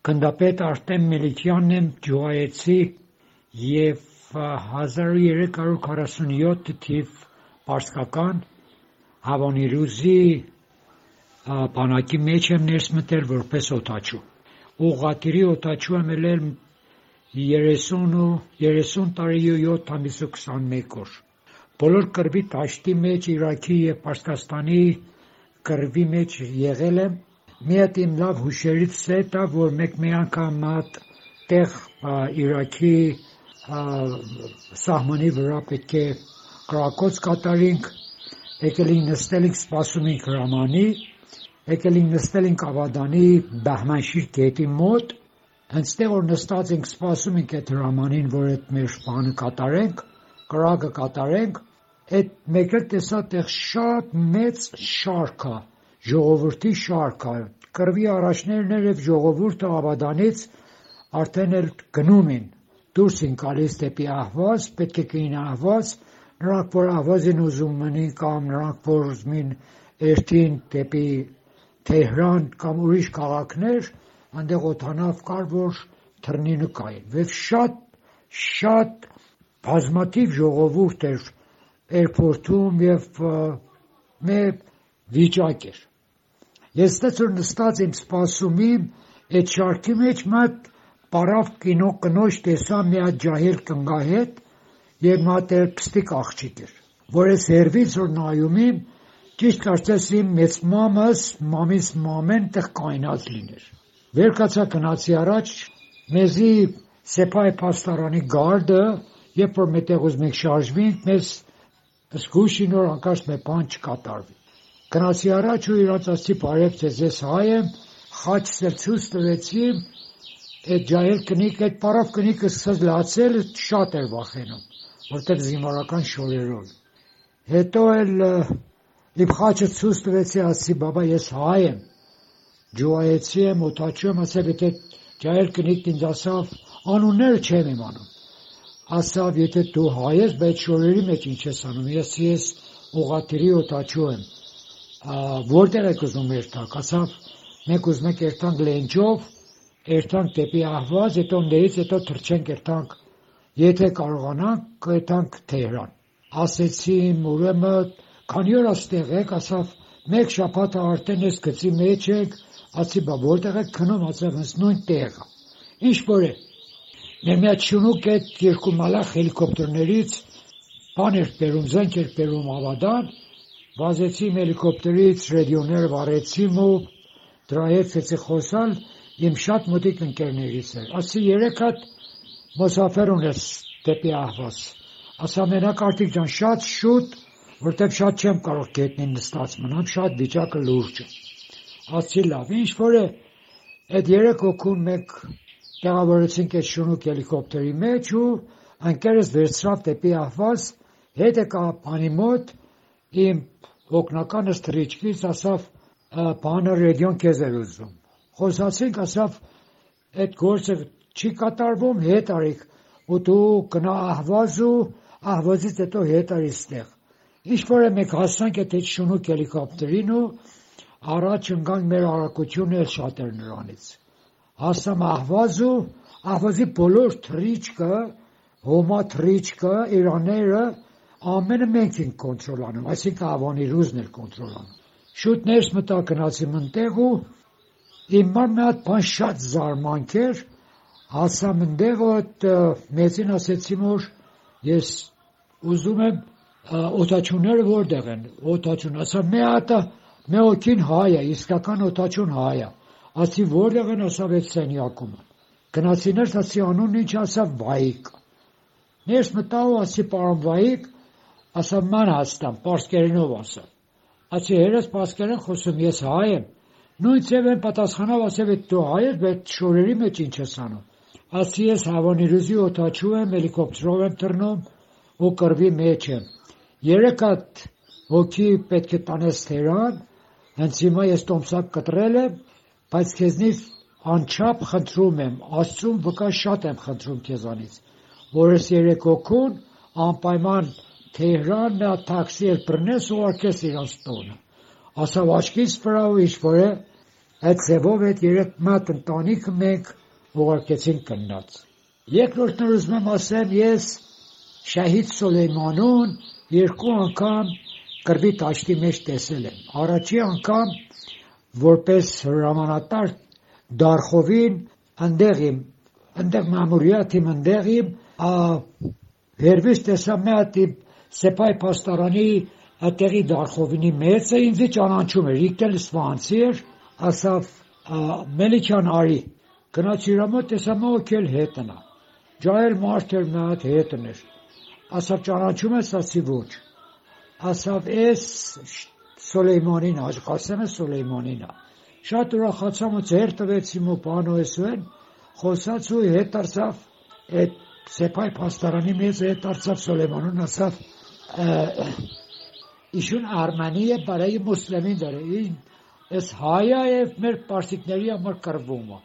գնդապետ Արտեմ Մելիքյանն եմ, Ջուայեցի և 1347 թիվ պարսկական Հավանիրուզի բանակի մեջ եմ ներս մտել որպես օդաչու։ Ուղղաթիռի օդաչու եմ ելել 30 տարի ու 7 ամիս ու 21 օր։ Բոլոր կռվի դաշտի մեջ Իրաքի և Պարսկաստանի կռվի մեջ եղել եմ։ Մի հատ իմ լավ հուշերից է դա, որ մեկ անգամ տեղ Իրաքի սահմանի վրա պետք է կրակոց կատարենք, եկել ենք նստել ենք սպասում ենք հրամանի, եկել ենք նստել ենք Ավադանի Բահմանշիր գետի մոտ, հենց տեղ որ նստած ենք սպասում ենք այդ հրամանին, որ այդ մեր բանը կատարենք, կրակը կատարենք, այդ մեկ էլ տեսա տեղ շատ մեծ շարք է, ժողովրդի շարք է, կռվի առաջներն էր և ժողովուրդը Ավադանից արդեն էլ գնում են, դուրս են գալիս դեպի Ահվազ, պետք է գնային Ահվազ, նրանք որ Ահվազ են ուզում մնին կամ նրանք որ ուզում են երթին դեպի Թեհրան կամ ուրիշ քաղաքներ, այնտեղ օդանավ կար, որ թռնի նկային, և շատ բազմաթիվ ժողովուրդ էր էրպորտում և մեր վիճակ էր։ Ես ստեց որ նստած եմ սպասում եմ, այդ շարքի մեջ մատ պարավ կնոջ տեսա մի հատ ջահել կնգահետ և մի հատ էլ պստիկ աղջիկ էր, որ ես հերվից որ նայում եմ, ճիշտ կարծես իմ մեծ մամիս մամեն տեղ կայնած լիներ։ Վեր կացա գնացի առաջ, մեզի Սեփայ պաստարանի գարդը, երբ որ մետեղ ուզում ենք շարժվենք, մեզ զգուշին որ անկաշ մեր բան չկատարվի։ Գնացի առաջ ու իրաց ասի բարև ձեզ, ես հայ եմ, խաչս էլ ցույց տվեցի, այդ ջահել կնիկ, այդ պարավ կնիկը սկսած լացել, շատ էր վախենում, որտեղ զինվորական շորերով։ Հետո էլ իմ խաչը ցույց տվեցի, ասի բաբա ես հայ եմ, ջոայեցի եմ, օտաչու եմ, ասավ եթե ջահել կնիկն ինձ ասավ, անունները չեմ իմանում, ասավ եթե դու հայ ես, բայց շորերի մեջ ինչ ես անում, ես ուղղաթիռի օտաչու եմ, որտեղ եք ուզում երթանք, ասավ մենք ուզում ենք երթանք Լենջով, երթանք դեպի Ահվազ, հետո ներից հետո թռչենք երթանք, եթե կարողանանք երթանք Թեհրան։ Ասեցի ուրեմն քանի օր այստեղ եք, ասավ մեկ շաբաթ արդեն ես գծի մեջ եք, ասի բա որտեղ եք քնում, ասավ հենց նույն տեղը։ Ինչ որ է։ Մեր մի հատ շունուկ այդ երկու մալախ հելիկոպտերներից բան էր բերում, զենք էր բերում Ավադան, վազեցի հելիկոպտերից ռադիոները վառեցի ու դրա հետ ցեցի խոսալ իմ շատ մոտիկ ընկերներից էր։ Ասի 3 հատ մոսաֆեր ունես դեպի Ահվազ։ Ասա մենակ Արտիկ ջան շատ շուտ, որտեղ շատ չեմ կարող գետնին նստած մնամ, շատ վիճակը լուրջ է։ Ասի լավ, ինչ որ է, այդ 3 հոգուն մեկ տեղավորեցինք այդ շունուկ հելիկոպտերի մեջ ու ընկերս վերցրավ դեպի Ահվազ, հետ եկա բանի մոտ, իմ օգնականս թռիչքից ասավ բանը ռադիոն քեզ էր ուզում։ Խոսացինք, ասավ այդ գործը չի կատարվում, հետ արիք ու դու գնա Ահվազ ու Ահվազից հետո հետ արի ստեղ։ Ինչ որ է մենք հասանք այդ շունուկ հելիկոպտերին ու առաջ ընկանք մեր արագությունը շատ էր նրանից։ Հասամ Ահվազ ու Ահվազի բոլոր թռիչքը, հոմա թռիչքը, իրաները ամենը մենք ենք կոնտրոլանում, այսինքն Ավանի ռուզն էր կոնտրոլանում։ Շուտ ներս մտա գնացիմ ընտեղ ու իմ մի հատ բան շատ զարմանք էր, հասամ ընտեղ ու այդ մեծին ասեցի որ ես ուզում եմ օտաչունները որտեղ են, օտաչուն, ասա մի հատը մի օքին հայ է, իսկական օտաչուն հայ է, ասի որտեղ են, ասավ այդ սենյակում են։ Գնացի ներս, ասի անունն ինչ, ասավ Վայիկ։ Ներս մտա ու ասի պարոն Վայիկ, ասա ման հաստամ, պարսկերենով ասա։ Ասի հերս պարսկերեն խոսում, ես հայ եմ։ Նույն ծև են պատասխանավ, ասավ այդ դու հայ ես, բայց շորերի մեջ ինչ ես անում։ Ասի ես Հավանի ռուզի օտաչու եմ, հելիկոպտերով եմ թռնում ու կռվի մեջ եմ։ 3 հատ հոգի պետք է տանես Թեհրան, հենց հիմա ես տոմսակ կտրել եմ, բայց քեզնից անչափ խնդրում եմ, Աստծուն վկա շատ եմ խնդրում քեզանից, որ ես 3 հոգուն անպայման Թեհրան նա տաքսի էլ բռնես ու արկես իրանց տոնը։ Ասավ աչքից վրա ու ինչ որ է, այդ ձևով այդ 3 մատ ընտանիքը մենք ուղարկեցին կնած։ Երկրորդն ուզում եմ ասեմ, ես Շահիդ Սոլեյմանուն 2 անգամ կռվի տաշտի մեջ տեսել եմ։ Առաջի անգամ որպես հրամանատար Դարխովին ընդեղ մամուրիաթիմ ընդեղ իմ վերվից տեսա մի հատ Սեփայ պաստարանի այդտեղի Դարխովինի մեծը ինձ ճանաչում էր, իկտել սվանցի էր, ասավ Մելիքյան արի, գնաց իր մոտ տեսա մոքել հետնա, ջահել մարդ էր մի հատ հետն էր, ասավ ճանաչում ես, ասի ոչ, ասավ էս Սոլեյմանին, Ղասեմը Սոլեյմանին է, շատ ուրախացամ ու ձեր տվեցիմ ու բանոեսուեն, խոսած ու հետ արցավ այդ Սեփայ պաստարանի մեծ հետ արցավ Սոլեյմանուն, ասավ Իշուն Արմանի է բարայ մուսլիմին դարը, ես հայա և մեր պարսիկների համար կռվում է։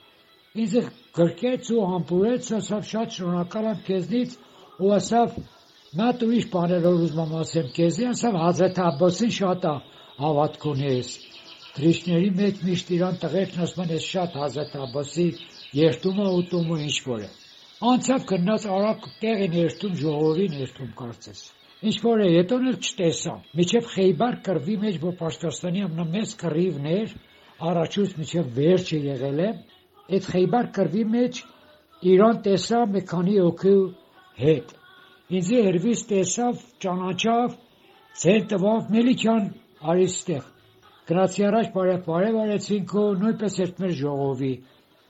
Ինձ գրկեց ու համբուրեց, ասավ շատ շնորհակալ եմ քեզնից ու ասավ մատ ուրիշ բաներով ուզում եմ ասեմ քեզի, ասավ Հազրեթ Աբբասին շատ հավատք ունես։ Թրիշների մեջ միշտ իրան տղերքն ասում են ես շատ Հազրեթ Աբբասի երթում է ուտում ու ինչ որ է։ Անցավ գնաց արագ տեղին երթում, ժողովին երթում կարծես։ Ինչ որ է, հետոն էլ չտեսա, միջև Խեյբար կռվի մեջ, որ Պարսկաստանի ամենամեծ կռիվն էր, առաջուց միջև վերջը եղել է, այդ Խեյբար կռվի մեջ Իրան տեսա մի քանի հոգու հետ։ Ինձ հերվից տեսավ, ճանաչավ, ձեր տվավ Մելիքյան արի ստեղ։ Գնացի առաջ բարև արեցինք ու նույնպես ერთ մեր ժողովի։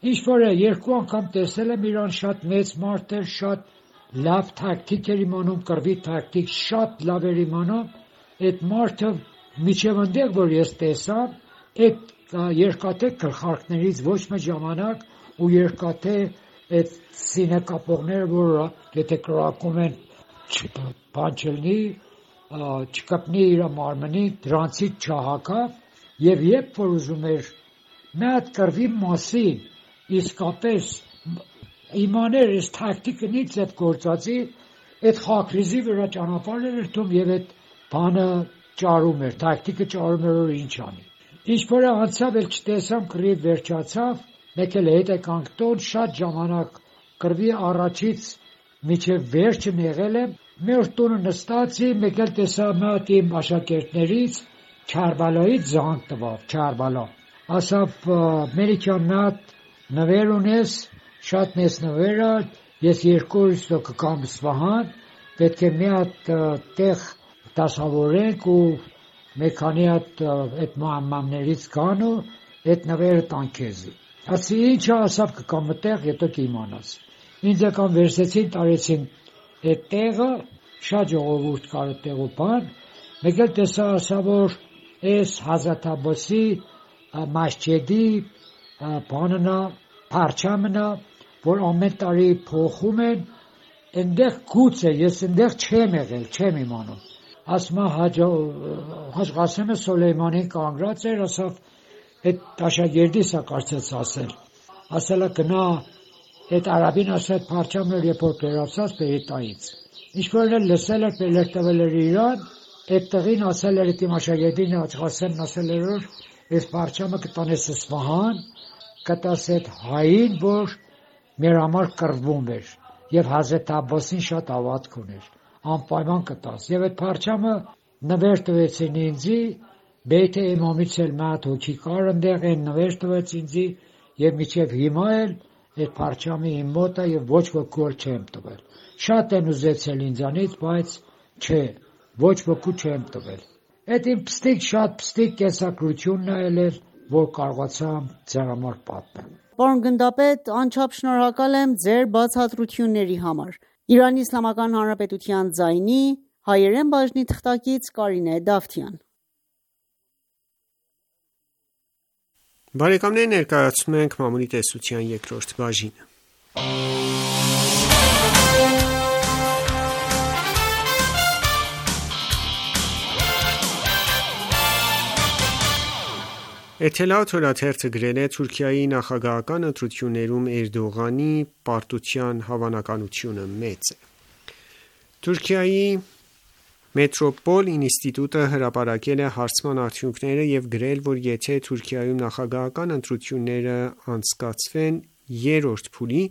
Ինչ որ է, 2 անգամ տեսել եմ Իրան, շատ մեծ մարդ էր, շատ լավ տակտիկ էր իմանում, կռվի տակտիկ շատ լավ էր իմանում, այդ մարդը Միջև այնտեղ, որ ես տեսա, այդ երկաթե գլխարկներից ոչ մի ժամանակ ու երկաթե այդ սինեկապողները, որ եթե կրակում են բան չլինի, չկպնի իր մարմնի, դրանցից չհակավ, եւ երբ որ ուզում էր մի հատ կռվի մասին իսկապես իմաներ այս տակտիկնից այդ գործածի, այդ խակրիզի վրա ճանապարհներ էր թում եւ այդ բանը ճարում էր, տակտիկը ճարում էր, որ ինչ անի։ Ինչ որ անցավ, էլ չտեսամ, կռիվ վերջացավ, մեկ էլ հետ եկանք տուն, շատ ժամանակ կռվի առաջից միջև վերջն եղել եմ, մեր տունը նստացի, մեկ էլ տեսա մի հատ իմ աշակերտներից Չարբալայից զանգ տվավ, Չարբալա։ Ասավ Ամերիկյան մի հատ նվեր ունես, շատ մեծ նվեր է, ես 200 կգամ Սվահան, պետք է մի հատ տեղ դասավորենք ու մեկ քանի հատ այդ մամաներից գան ու այդ նվերը տան քեզի։ Ասի ինչա, ասավ կգամ այդտեղ, եթե կիմանաս։ Ինձ եկան վերցեցին, տարեցին այդ տեղը, շատ ժողովուրդ կար այդտեղ ու բան, մեկ էլ տեսա, ասա որ այս Հազրաթ Մասջեդի բաննա, փարչամնա, որ ամեն տարի փոխում են, այնտեղ գուց է, ես այնտեղ չեմ եղել, չեմ իմանում։ Ասմա Հաջ Ղասեմը Սոլեյմանին կանգրած էր, ասավ այդ աշակերտիս է կարծես ասել։ Ասելա գնա այդ արաբին ասել փարչամը երբ որ վերացած Պերիտայից։ Ինչ որ լսել էր, պերեր տվել էր իրան, այդ տղին ասել էր իմ աշակերտին Հաջ Ղասեմն ասել էր որ այս փարչամը կտանես Սվահան, կտաս այդ հային, որ մեր համար կռվում էր եւ Հազրեթ Աբբասին շատ ավատք ուներ, անպայման կտաս։ Եվ այդ փարչամը նվեր տվեցին ինձի, Բեյթե Իմամից էլ մի հատ հոգի կար այնտեղ, այն նվեր տվեց ինձի եւ մինչեւ հիմա էլ այդ փարչամի իմ մոտ է եւ ոչ ոք չեմ տվել։ Շատ են ուզեցել ինձանից, բայց չէ, ոչ ոք չեմ տվել։ Այդ իմ շատ պստիկ կեսակրությունն է ելել, որ կարողացամ ձեր համար պատմել։ Պարոն գնդապետ, անչափ շնորհակալ եմ ձեր բացատրությունների համար։ Իրանի Իսլամական Հանրապետության ձայնի հայերեն բաժնի թղթակից Կարինե Դավթյան։ Բարեկամներ, ներկայացնում ենք մամուլի տեսության երկրորդ բաժինը։ Էթելա թերթը գրել է Թուրքիայի նախագահական ընտրություններում Էրդողանի պարտության հավանականությունը մեծ է։ Թուրքիայի Մետրոպոլ ինստիտուտը հրապարակել է հարցման արդյունքները եւ գրել, որ եթե Թուրքիայում նախագահական ընտրությունները անցկացվեն երրորդ փուլի,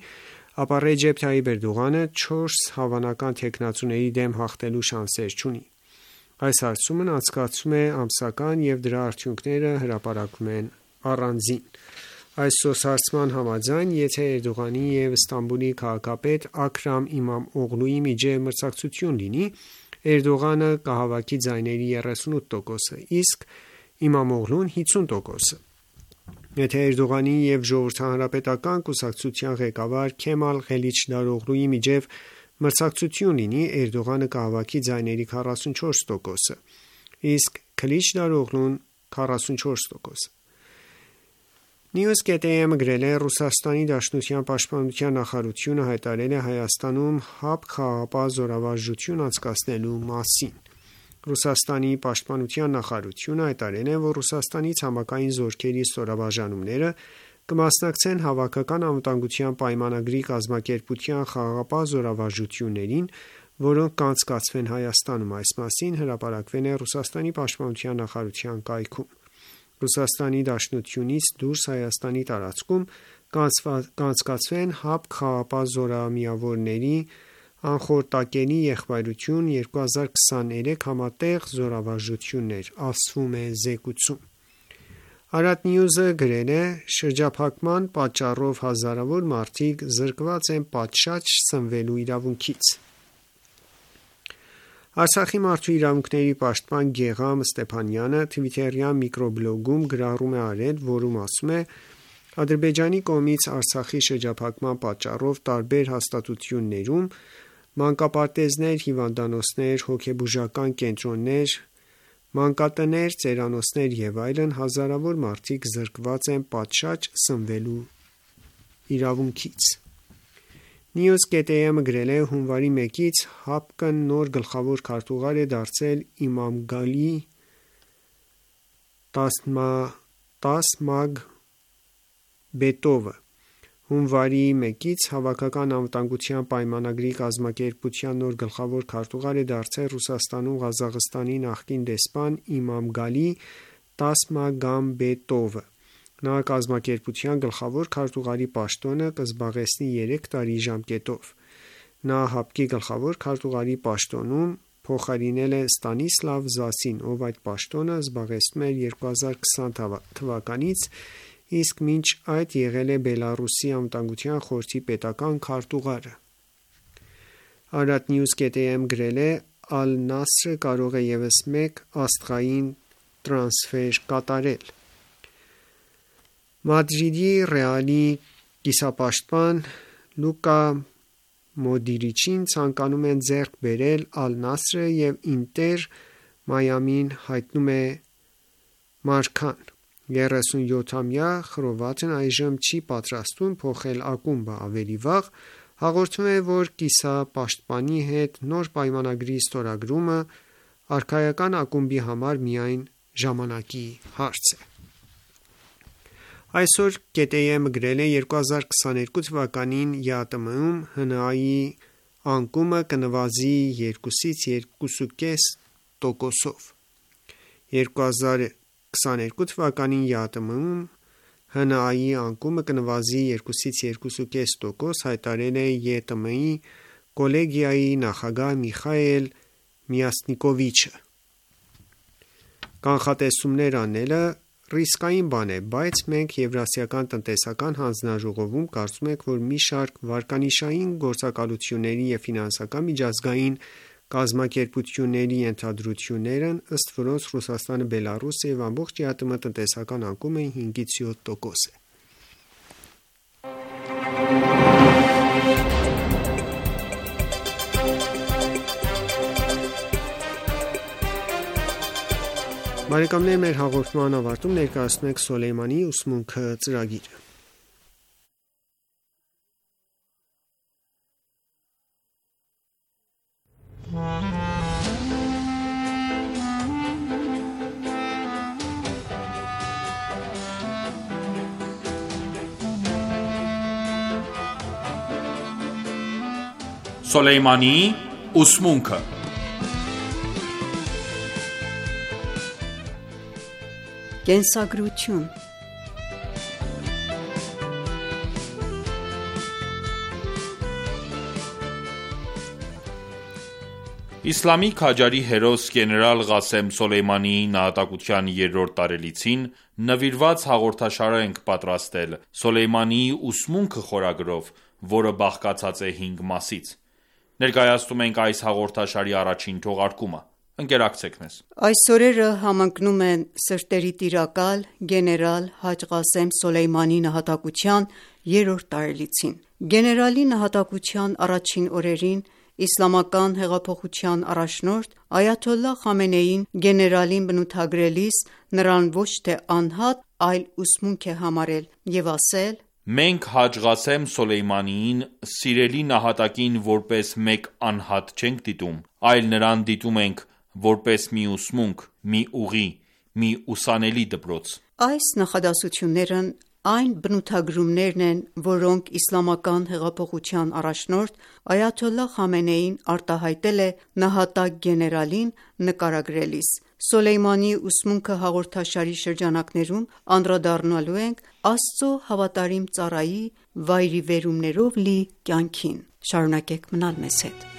ապա Ռեջեփ Թայիփ Էրդողանը 4 հավանական թեկնածուների դեմ հաղթելու շանսեր չունի։ Այս հարցումն անցկացվում է ամսական եւ դրա արդյունքները հրապարակվում են առանձին։ Այս սոցհարցման համաձայն, եթե Էրդողանի եւ Ստամբուլի քաղաքապետ Աքրամ Իմամ Օղլուի միջեւ մրցակցություն լինի, Էրդողանը կհավաքի ձայների 38%, իսկ Իմամ Օղլուն 50%։ Եթե Էրդողանի եւ Ժողովրդահանրապետական կուսակցության ղեկավար Քեմալ Ղելիչդարօղլուի միջեւ մրցակցություն լինի, Էրդողանը կհավաքի ձայների 44%, իսկ Քլիչդարօղլուն 44%։ News.am գրել է Ռուսաստանի Դաշնության պաշտպանության նախարարությունը հայտարարել է Հայաստանում ՀԱՊ խաղաղապահ զորավարժություն անցկացնելու մասին։ Ռուսաստանի պաշտպանության նախարարությունը հայտարարել է, որ Ռուսաստանի ցամաքային զորքերի ստորաբաժանումները կմասնակցեն հավաքական անվտանգության պայմանագրի կազմակերպության խաղաղապահ զորավարժություններին, որոնք կանցկացվեն Հայաստանում։ Այս մասին հրապարակվել է Ռուսաստանի պաշտպանության նախարարության կայքում։ Ռուսաստանի Դաշնությունից դուրս Հայաստանի տարածքում կանցկացվեն ՀԱՊ խաղաղապահ զորամիավորների անխորտակելի եղբայրություն 2023 համատեղ զորավարժություններ, ասվում է զեկույցում։ Արադ Նյուզը գրել է. շրջափակման պատճառով հազարավոր մարդիկ զրկված են պատշաճ սնվելու իրավունքից։ Արցախի մարդու իրավունքների պաշտպան Գեգամ Ստեփանյանը Twitter-յան միկրոբլոգում գրառում է արել, որում ասում է. Ադրբեջանի կողմից Արցախի շրջափակման պատճառով տարբեր հաստատություններում մանկապարտեզներ, հիվանդանոցներ, հոգեբուժական կենտրոններ, Մանկատներ, ծերանոցներ եւ այլն հազարավոր մարդիկ զրկված են պատշաճ սնվելու իրավունքից։ News.am-ը գրել է հունվարի 1-ից ՀԱՊԿ-ն նոր գլխավոր քարտուղար է դարձել Իմամգալի Տասմագբետովը։ Հունվարի 1-ից Հավաքական անվտանգության պայմանագրի կազմակերպության նոր գլխավոր քարտուղար է դարձել Ռուսաստանում Ղազախստանի նախկին դեսպան Իմամգալի Տասմագամբետովը։ Նա կազմակերպության գլխավոր քարտուղարի պաշտոնը կզբաղեցնի 3 տարի ժամկետով։ Նա ՀԱՊԿ-ի գլխավոր քարտուղարի պաշտոնում փոխարինել է Ստանիսլավ Զասին, ով այդ պաշտոնը զբաղեցնում էր 2020 թվականից, իսկ մինչ այդ եղել է Բելառուսի անվտանգության խորհրդի պետական քարտուղարը։ Արադ News.am գրել է Ալ-Նասրը կարող է ևս մեկ աստղային տրանսֆեր կատարել։ Մադրիդի Ռեալի կիսապաշտպան Լուկա Մոդիրիչին ցանկանում են ձեռք բերել Ալ-Նասրը եւ Ինտեր Մայամին հայտնում է Մարքան։ 37-ամյա Խրովատն այժմ չի պատրաստվում փոխել ակումբը ավելի վաղ, հաղորդում է, որ կիսապաշտպանի հետ նոր պայմանագրի ստորագրումը արքայական ակումբի համար միայն ժամանակի հարց է։ Այսօր ԿՏԵՄ-ը գրել է 2022 թվականին ԵԱՏՄ-ում ՀՆԱ-ի անկումը կնվազի 2-ից 2.5%-ով։ 2022 թվականին ԵԱՏՄ-ում ՀՆԱ-ի անկումը կնվազի 2-ից 2.5%, հայտարարել է ԵՏՄ-ի կոլեգիայի նախագահ Միխայել Միասնիկովիչը։ Կանխատեսումներ անելը ռիսկային բան է, բայց մենք Եվրասիական տնտեսական հանձնաժողովում կարծում ենք, որ մի շարք վարկանիշային գործակալությունների եւ ֆինանսական միջազգային կազմակերպությունների ենթադրություններն, ըստ որոնց Ռուսաստանը, Բելառուսը եւ ամբողջ ԵԱՏՄ տնտեսական անկումը 5-ից 7% է։ Բարեկամներ, մեր հաղորդման ավարտում ներկայացնում ենք Սոլեյմանի ուսմունքը ծրագիրը։ Սոլեյմանի ուսմունքը Կենսագրություն Իսլամի քաջարի հերոս գեներալ Ղասեմ Սոլեյմանիի նահատակության 3-րդ տարելիցին նվիրված հաղորդաշար ենք պատրաստել Սոլեյմանիի ուսմունքը խորագրով, որը բաղկացած է 5 մասից։ Ներկայացնում ենք այս հաղորդաշարի առաջին թողարկումը։ Ընկերակցեք մեզ։ Այս օրերը համընկնում են սրտերի տիրակալ գեներալ Հաջ Ղասեմ Սոլեյմանիի նահատակության 3-րդ տարելիցին։ Գեներալի նահատակության առաջին օրերին Իսլամական հեղափոխության առաջնորդ Այաթոլլահ Խամենեին գեներալին բնութագրելիս նրան ոչ թե անհատ, այլ ուսմունք է համարել եւ ասել. Մենք Հաջ Ղասեմ Սոլեյմանիին սիրելի նահատակին որպես մեկ անհատ չենք դիտում, այլ նրան դիտում ենք որպես մի ուսմունք, մի ուղի, մի ուսանելի դպրոց։ Այս նախադասություններն այն բնութագրումներն են, որոնք Իսլամական հեղափոխության առաջնորդ Այաթոլլահ Խամենեին արտահայտել է նահատակ գեներալին նկարագրելիս։ Սոլեյմանիի ուսմունքը հաղորդաշարի շրջանակներում անդրադառնալու ենք Աստծո հավատարիմ ծառայի վայրիվերումներով լի կյանքին։ Շարունակեք մնալ մեզ հետ։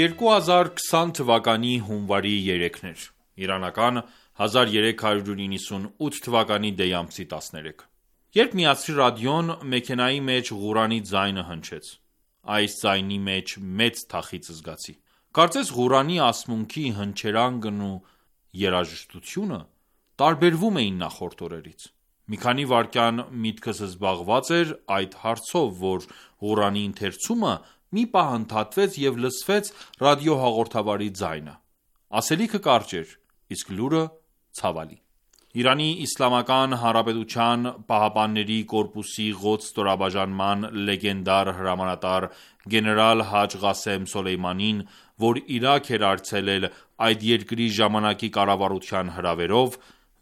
«2020 թվականի հունվարի 3-ն էր, իրանական 1398 թվականի դեյ ամսի 13, երբ միացրի ռադիոն, մեքենայի մեջ Ղուրանի ձայնը հնչեց, այս ձայնի մեջ մեծ թախիծ զգացի, Կարծես Ղուրանի ասմունքի հնչերանգն ու երաժշտությունը տարբերվում էին նախորդ օրերից։ Մի քանի վայրկյան միտքս զբաղված էր այդ հարցով, որ Ղուրանի ընթերցումը մի պահ ընդհատվեց և լսվեց ռադիոհաղորդավարի ձայնը։ Ասելիքը կարճ էր, իսկ լուրը ցավալի։ Իրանի Իսլամական Հանրապետության Պահապանների կորպուսի Ղոդս ստորաբաժանման լեգենդար հրամանատար գեներալ Հաջ Ղասեմ Սոլեյմանին, որ Իրաք էր այցելել այդ երկրի ժամանակի կառավարության հրավերով,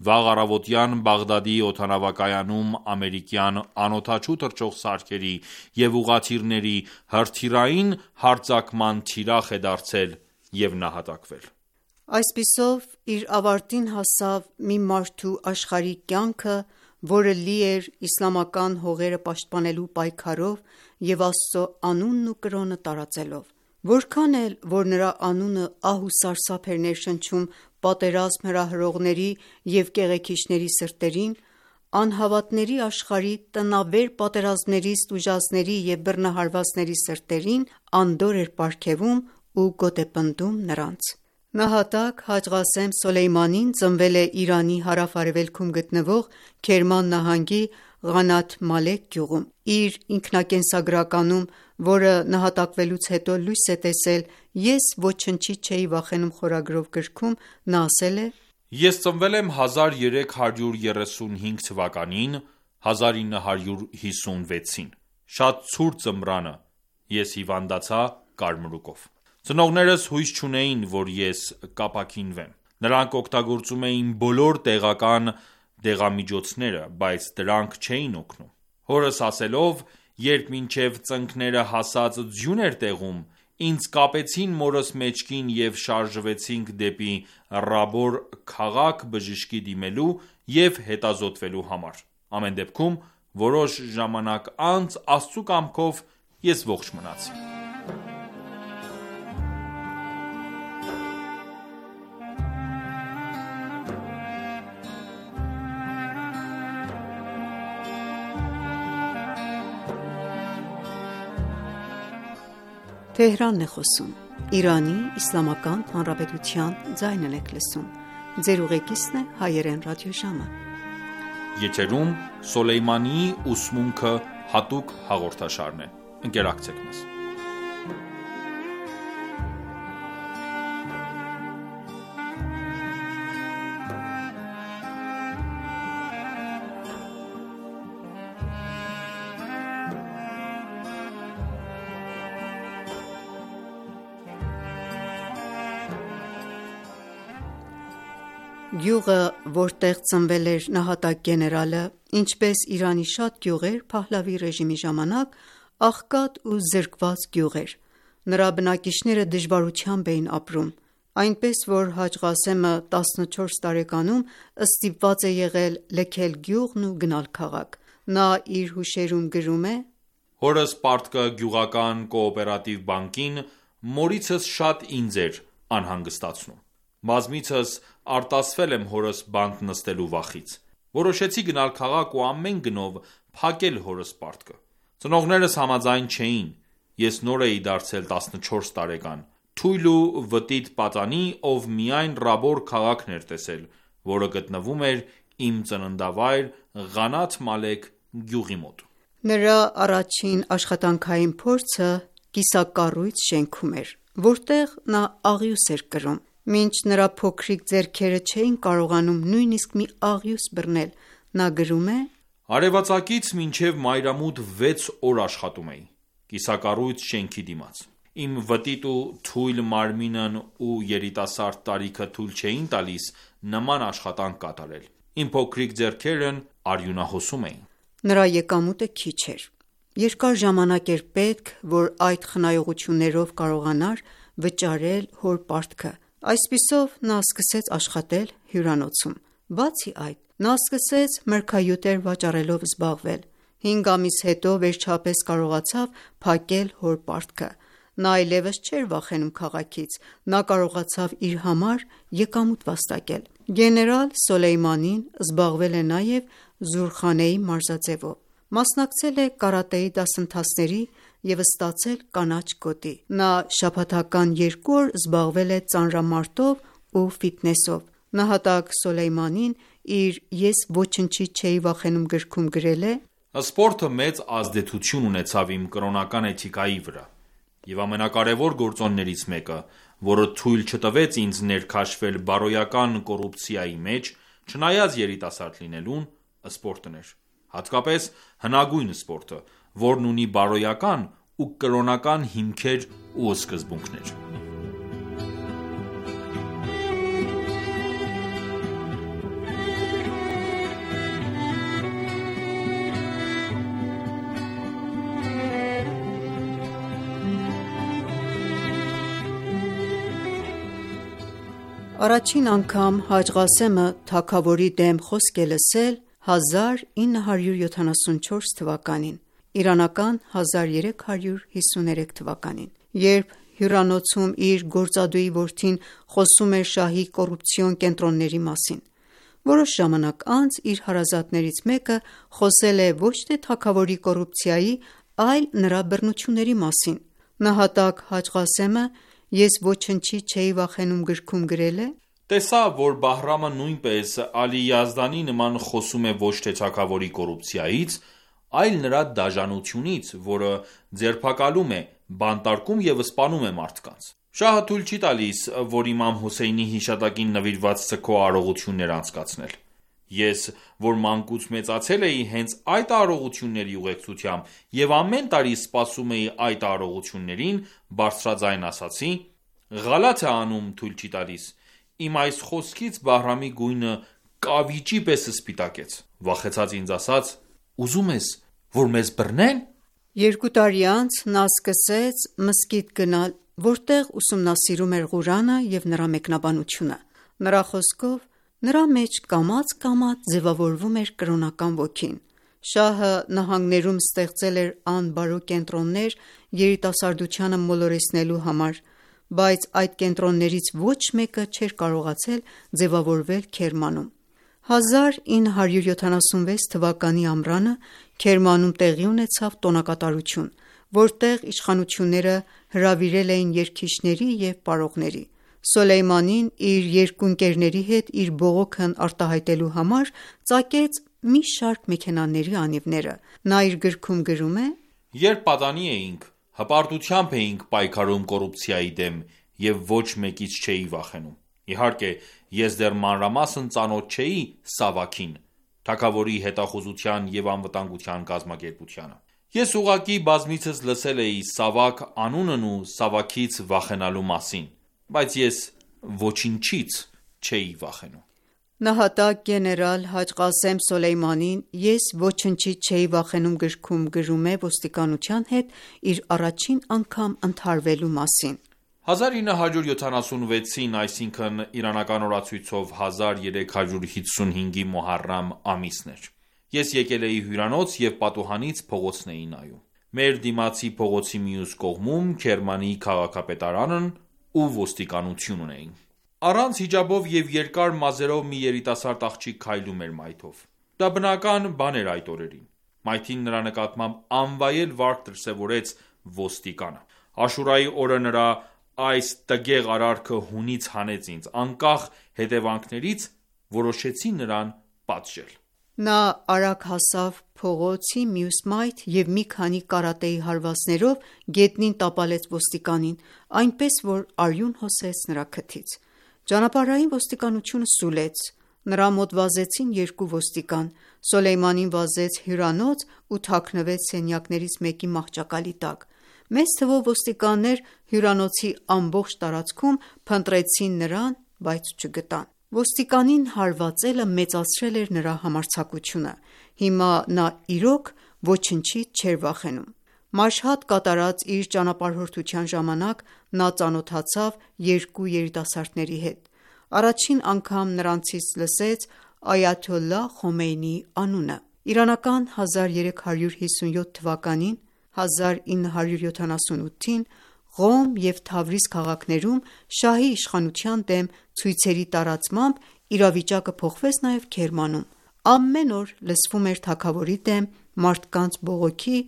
վաղ առավոտյան Բաղդադի օդանավակայանում ամերիկյան անօդաչու թռչող սարքերի և ուղղաթիռների հրթիռային հարձակման թիրախ է դարձել և նահատակվել։ Այսպիսով իր ավարտին հասավ մի մարդու աշխարհիկ կյանքը, որը լի էր իսլամական հողերը պաշտպանելու պայքարով և Աստծո անունն ու կրոնը տարածելով։ Որքան էլ որ նրա անունը ահ ու սարսափ էր ներշնչում պատերազմ հրահրողների և կեղեքիչների սրտերին, անհավատների աշխարհի տնավեր պատերազմներից տուժածների և բռնահարվածների սրտերին անդորր էր պարգևում ու գոտեպնդում նրանց։ Նահատակ Հաջ Ղասեմ Սոլեյմանին ծնվել է Իրանի հարավ-արևելքում գտնվող Քերման նահանգի Ղանաթ Մալեք գյուղում։ Իր ինքնակենսագրականում, որը նահատակվելուց հետո լույս է տեսել «Ես ոչնչից չէի վախենում» խորագրով գրքում, նա ասել է. «Ես ծնվել եմ 1335 թվականին (1956)-ին, շատ ցուրտ ձմռանը ես հիվանդացա կարմրուկով։ Ծնողներս հույս չունեին, որ ես կապաքինվեմ։ Նրանք օգտագործում էին բոլոր տեղական դեղամիջոցները, բայց դրանք չէին օգնում։ Հորս ասելով, երբ մինչև ծնկները հասած ձյուն էր տեղում, ինձ կապեցին մորս մեջքին և շարժվեցինք դեպի Ռաբոր քաղաք բժշկի դիմելու և հետազոտվելու համար։ Ամեն դեպքում, որոշ ժամանակ անց Աստծու կամքով ես ողջ մնացի»։ Գյուղը, որտեղ ծնվել էր նահատակ գեներալը, ինչպես Իրանի շատ գյուղեր Փահլավի ռեժիմի ժամանակ, աղքատ ու զրկված գյուղ էր։ Նրա բնակիչները դժվարությամբ էին ապրում, այնպես որ Հաջ Ղասեմը 14 տարեկանում ստիպված է եղել լքել գյուղն ու գնալ քաղաք։ Նա իր հուշերում գրում է. «Հորս պարտքը գյուղական կոոպերատիվ բանկին մորիցս շատ ինձ էր անհանգստացնում։ Բազմիցս արտասվել եմ հորս բանտ նստելու վախից։ Որոշեցի գնալ քաղաք ու ամեն գնով փակել հորս պարտքը։ Ծնողներս համաձայն չէին։ Ես նոր էի դարձել 14 տարեկան, թույլ ու վտիտ պատանի, ով միայն Ռաբոր քաղաքն էր տեսել, որը գտնվում էր իմ ծննդավայր Ղանաթ Մալեք գյուղի մոտ։ Նրա առաջին աշխատանքային փորձը կիսակառույց շենքում էր, որտեղ նա աղյուս էր կրում։ Մինչ նրա փոքրիկ ձեռքերը չէին կարողանում նույնիսկ մի աղյուս բռնել, նա գրում է. «Արևածագից մինչև մայրամուտ 6 օր աշխատում էի, կիսակառույց շենքի դիմաց։ Իմ վտիտ ու թույլ մարմինն ու երիտասարդ տարիքը թույլ չէին տալիս նման աշխատանք կատարել։ Իմ փոքրիկ ձեռքերն արյունահոսում էին»։ Նրա եկամուտը քիչ էր։ Երկար ժամանակ էր պետք, որ այդ խնայողություններով կարողանար վճարել հոր պարտքը։ Այսպիսով նա սկսեց աշխատել հյուրանոցում։ Բացի այդ, նա սկսեց մրգահյութեր վաճառելով զբաղվել։ 5 ամիս հետո վերջապես կարողացավ փակել հոր պարտքը։ Նա այլևս չէր վախենում քաղաքից, նա կարողացավ իր համար եկամուտ վաստակել։ Գեներալ Սոլեյմանին զբաղվել է նաև Զուրխանեի մարզաձևով։ Մասնակցել է կարատեի դասընթացների, և ստացել կանաչ գոտի։ Նա շաբաթական 2 օր զբաղվել է ծանրամարտով ու ֆիթնեսով։ Նահատակ Սոլեյմանին իր «Ես ոչնչից չէի վախենում» գրքում գրել է. «Սպորտը մեծ ազդեցություն ունեցավ իմ կրոնական էթիկայի վրա, և ամենակարևոր գործոններից մեկը, որը թույլ չտվեց ինձ ներքաշվել բարոյական կոռուպցիայի մեջ, չնայած երիտասարդ լինելուն, սպորտն էր, հատկապես հնագույն սպորտը, որն ունի բարոյական ու կրոնական հիմքեր ու սկզբունքներ»։ Առաջին անգամ Հաջ Ղասեմը թագավորի դեմ խոսք է լսել 1974 թվականին (իրանական 1353 թվականին), երբ հյուրանոցում իր գործադուի որդին խոսում էր շահի կոռուպցիոն կենտրոնների մասին։ Որոշ ժամանակ անց իր հարազատներից մեկը խոսել է ոչ թե թագավորի կոռուպցիայի, այլ նրա բռնությունների մասին։ Նահատակ Հաջ Ղասեմը «Ես ոչնչից չէի վախենում» գրքում գրել է. «Տեսա, որ Բահրամը նույնպես Ալի Յազդանի նման խոսում է ոչ թե թագավորի կոռուպցիայից, այլ նրա դաժանությունից, որը ձերբակալում է, բանտարկում և սպանում է մարդկանց։ Շահը թույլ չի տալիս, որ իմամ Հոսեյնի հիշատակին նվիրված սգո արարողություններ անցկացնել։ Ես, որ մանկուց մեծացել էի հենց այդ արարողությունների ուղեկցությամբ և ամեն տարի սպասում էի այդ արարողություններին, բարձրաձայն ասացի. «Ղալաթ է անում, թույլ չի տալիս»։ Իմ այս խոսքից Բահրամի գույնը կավիճի պես սպիտակեց։ Վախեցած ինձ ասաց. «Ուզում ես, որ մեզ բռնեն»։ 2 տարի անց նա սկսեց մզկիթ գնալ, որտեղ ուսումնասիրում էր Ղուրանը և նրա մեկնաբանությունը։ Նրա խոսքով, նրա մեջ կամաց-կամաց ձևավորվում էր կրոնական ոգին։ Շահը նահանգներում ստեղծել էր անբարո կենտրոններ երիտասարդությանը մոլորեցնելու համար, բայց այդ կենտրոններից ոչ մեկը չէր կարողացել ձևավորվել Քերմանում։ 1976 թվականի ամռանը Քերմանում տեղի ունեցավ տոնակատարություն, որտեղ իշխանությունները հրավիրել էին երգիչների և պարողների։ Սոլեյմանին իր երկու ընկերների հետ իր բողոքն արտահայտելու համար ծագեց մի շարք մեքենաների անիվները։ Նա իր գրքում գրում է. «Երբ պատանի էինք, հպարտությամբ էինք պայքարում կոռուպցիայի դեմ և ոչ մեկից չէի վախենում։ Իհարկե, ես դեռ մանրամասն ծանոթ չէի Սավաքին, թագավորի հետախուզության և անվտանգության կազմակերպությանը։ Ես ուղղակի բազմիցս լսել էի Սավաք անունն ու Սավաքից վախենալու մասին, բայց ես ոչինչից չէի վախենում»։ Նահատակ գեներալ Հաջ Ղասեմ Սոլեյմանին «Ես ոչնչից չէի վախենում» գրքում գրում է ոստիկանության հետ իր առաջին անգամ ընդհարվելու մասին. 1976-ին, այսինքն իրանական օրացույցով 1355-ի Մոհարրամ ամիսն էր։ Ես եկել էի հյուրանոց և պատուհանից փողոցն էի նայում։ Մեր դիմացի փողոցի մյուս կողմում Քերմանի քաղաքապետարանն ու ոստիկանությունն էին։ Առանց հիջաբով և երկար մազերով մի երիտասարդ աղջիկ քայլում էր մայթով։ Դա բնական բան էր այդ օրերին։ Մայթին նրա նկատմամբ անվայել վարք դրսևորեց ոստիկանը։ Աշուրայի օրը նրա այս տգեղ արարքը հունից հանեց ինձ։ Անկախ հետևանքներից որոշեցի նրան պատժել։ Նա արագ հասավ փողոցի մյուս մայթ և մի քանի կարատեի հարվածներով գետնին տապալեց ոստիկանին, այնպես որ արյուն հոսեց նրա քթից։ Ճանապարհային ոստիկանությունը սուլեց։ Նրա մոտ վազեցին 2 ոստիկան։ Սոլեյմանին վազեց հյուրանոց ու թաքնվեց սենյակներից մեկի մահճակալի տակ։ Մեծ թվով ոստիկաններ հյուրանոցի ամբողջ տարածքում փնտրեցին նրան, բայց չգտան։ Ոստիկանին հարվածելը մեծացրել էր նրա համարձակությունը։ Հիմա նա իրոք ոչնչից չէր վախենում։ Մաշհադ կատարած իր ճանապարհորդության ժամանակ նա ծանոթացավ 2 երիտասարդների հետ։ Առաջին անգամ նրանցից լսեց Այաթոլլահ Խոմեյնիի անունը։ Իրանական 1357 թվականին (1978) Ղոմ և Թավրիզ քաղաքներում շահի իշխանության դեմ ցույցերի տարածմամբ իրավիճակը փոխվեց նաև Քերմանում։ Ամեն օր լսվում էր թագավորի դեմ մարդկանց բողոքի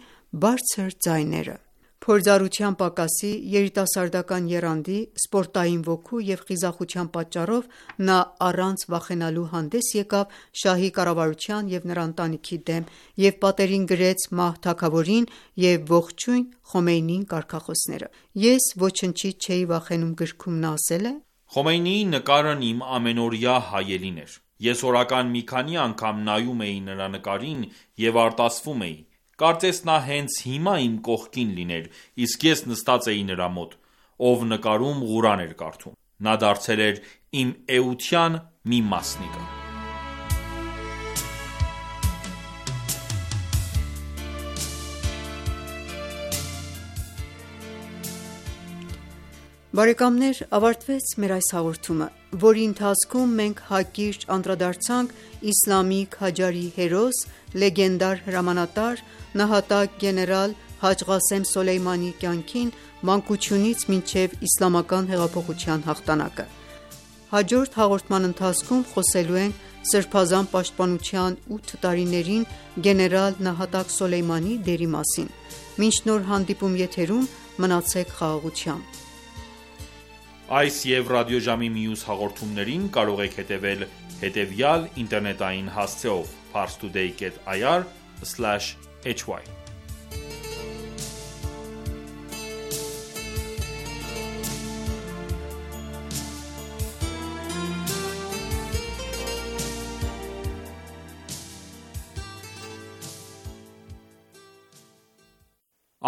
բարձր ձայները։ Փորձառության պակասի, երիտասարդական եռանդի, սպորտային ոգու և խիզախության պատճառով նա առանց վախենալու հանդես եկավ շահի կառավարության և նրա ընտանիքի դեմ և պատերին գրեց մահ թագավորին և ողջույն Խոմեյնիին կարգախոսները: «Ես ոչնչից չէի վախենում» գրքում նա ասել է. «Խոմեյնիի նկարն իմ ամենօրյա հայելին էր: Ես օրական մի քանի անգամ նայում էի նրա նկարին և արտասվում էի: Կարծես նա հենց հիմա իմ կողքին լիներ, իսկ ես նստած էի նրա մոտ, ով նկարում Ղուրան էր կարդում: Նա դարձել էր իմ էության մի մասնիկը»: Բարեկամներ ավարտվեց մեր այս հաղորդումը, որի ընթացքում մենք հակիրճ անդրադարձանք իսլամի քաջարի հերոս, լեգենդար հրամանատար, նահատակ գեներալ Հաջ Ղասեմ Սոլեյմանիի կյանքին մանկությունից մինչև իսլամական հեղափոխության հաղթանակը: Հաջորդ հաղորդման ընթացքում խոսելու ենք Սրբազան պաշտպանության 8 տարիներին գեներալ նահատակ Սոլեյմանիի դերի մասին: Մինչ նոր հանդիպում եթերում մնացեք խաղաղությամբ: Այս և ռադիոժամի մյուս հաղորդումներին կարող եք հետևել հետևյալ ինտերնետային հասցեով՝ parstoday.ir/hy: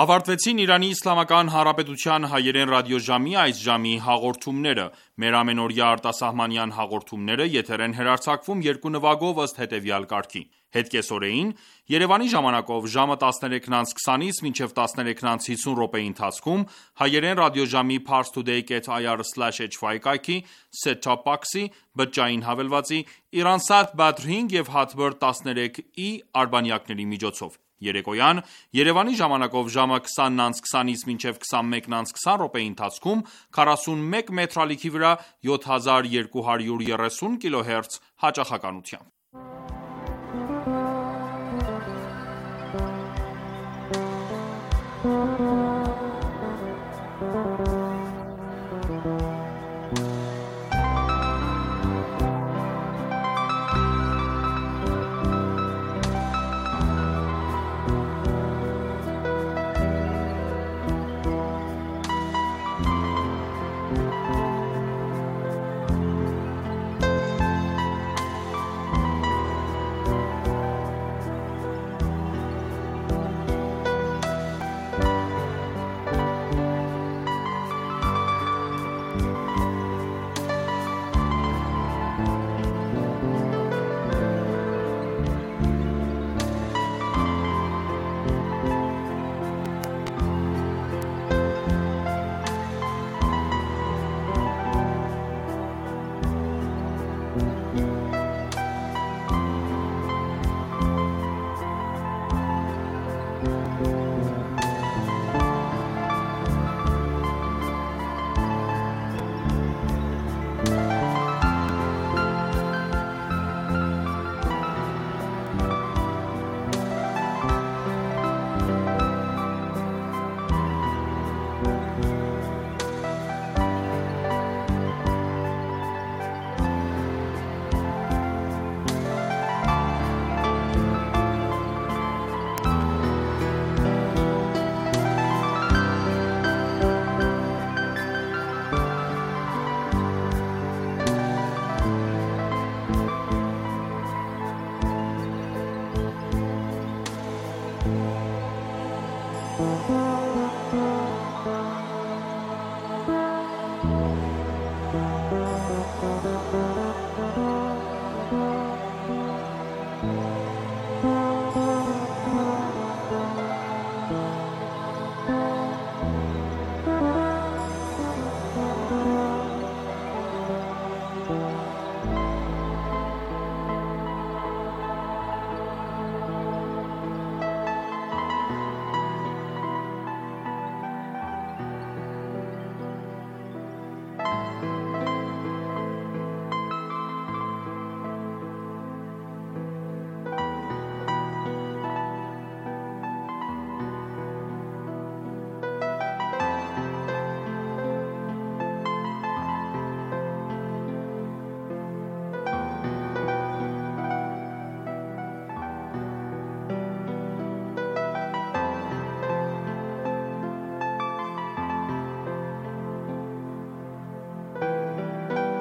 Ավարտվեցին Իրանի Իսլամական Հանրապետության հայերեն ռադիոժամի այս ժամի հաղորդումները: Մեր ամենօրյա արտասահմանյան հաղորդումները եթեր են հեռարձակվում երկու նվագով ըստ հետևյալ կարգի: Հետկեսօրեին Երևանի ժամանակով ժամը 13:20-ից մինչև 13:50 րոպեի ընթացքում հայերեն ռադիոժամի parstoday.ir/hy կայքի set-top box-ի, բջջային հավելվածի, Iran-Sat Badr 5 և Hotbird 13i արբանյակների միջոցով: Երեկոյան Երևանի ժամանակով ժամը 20:20-ից մինչև 21:20 րոպեի ընթացքում 41 մետրալիքի վրա 7230 կՀz հաճախականությամբ: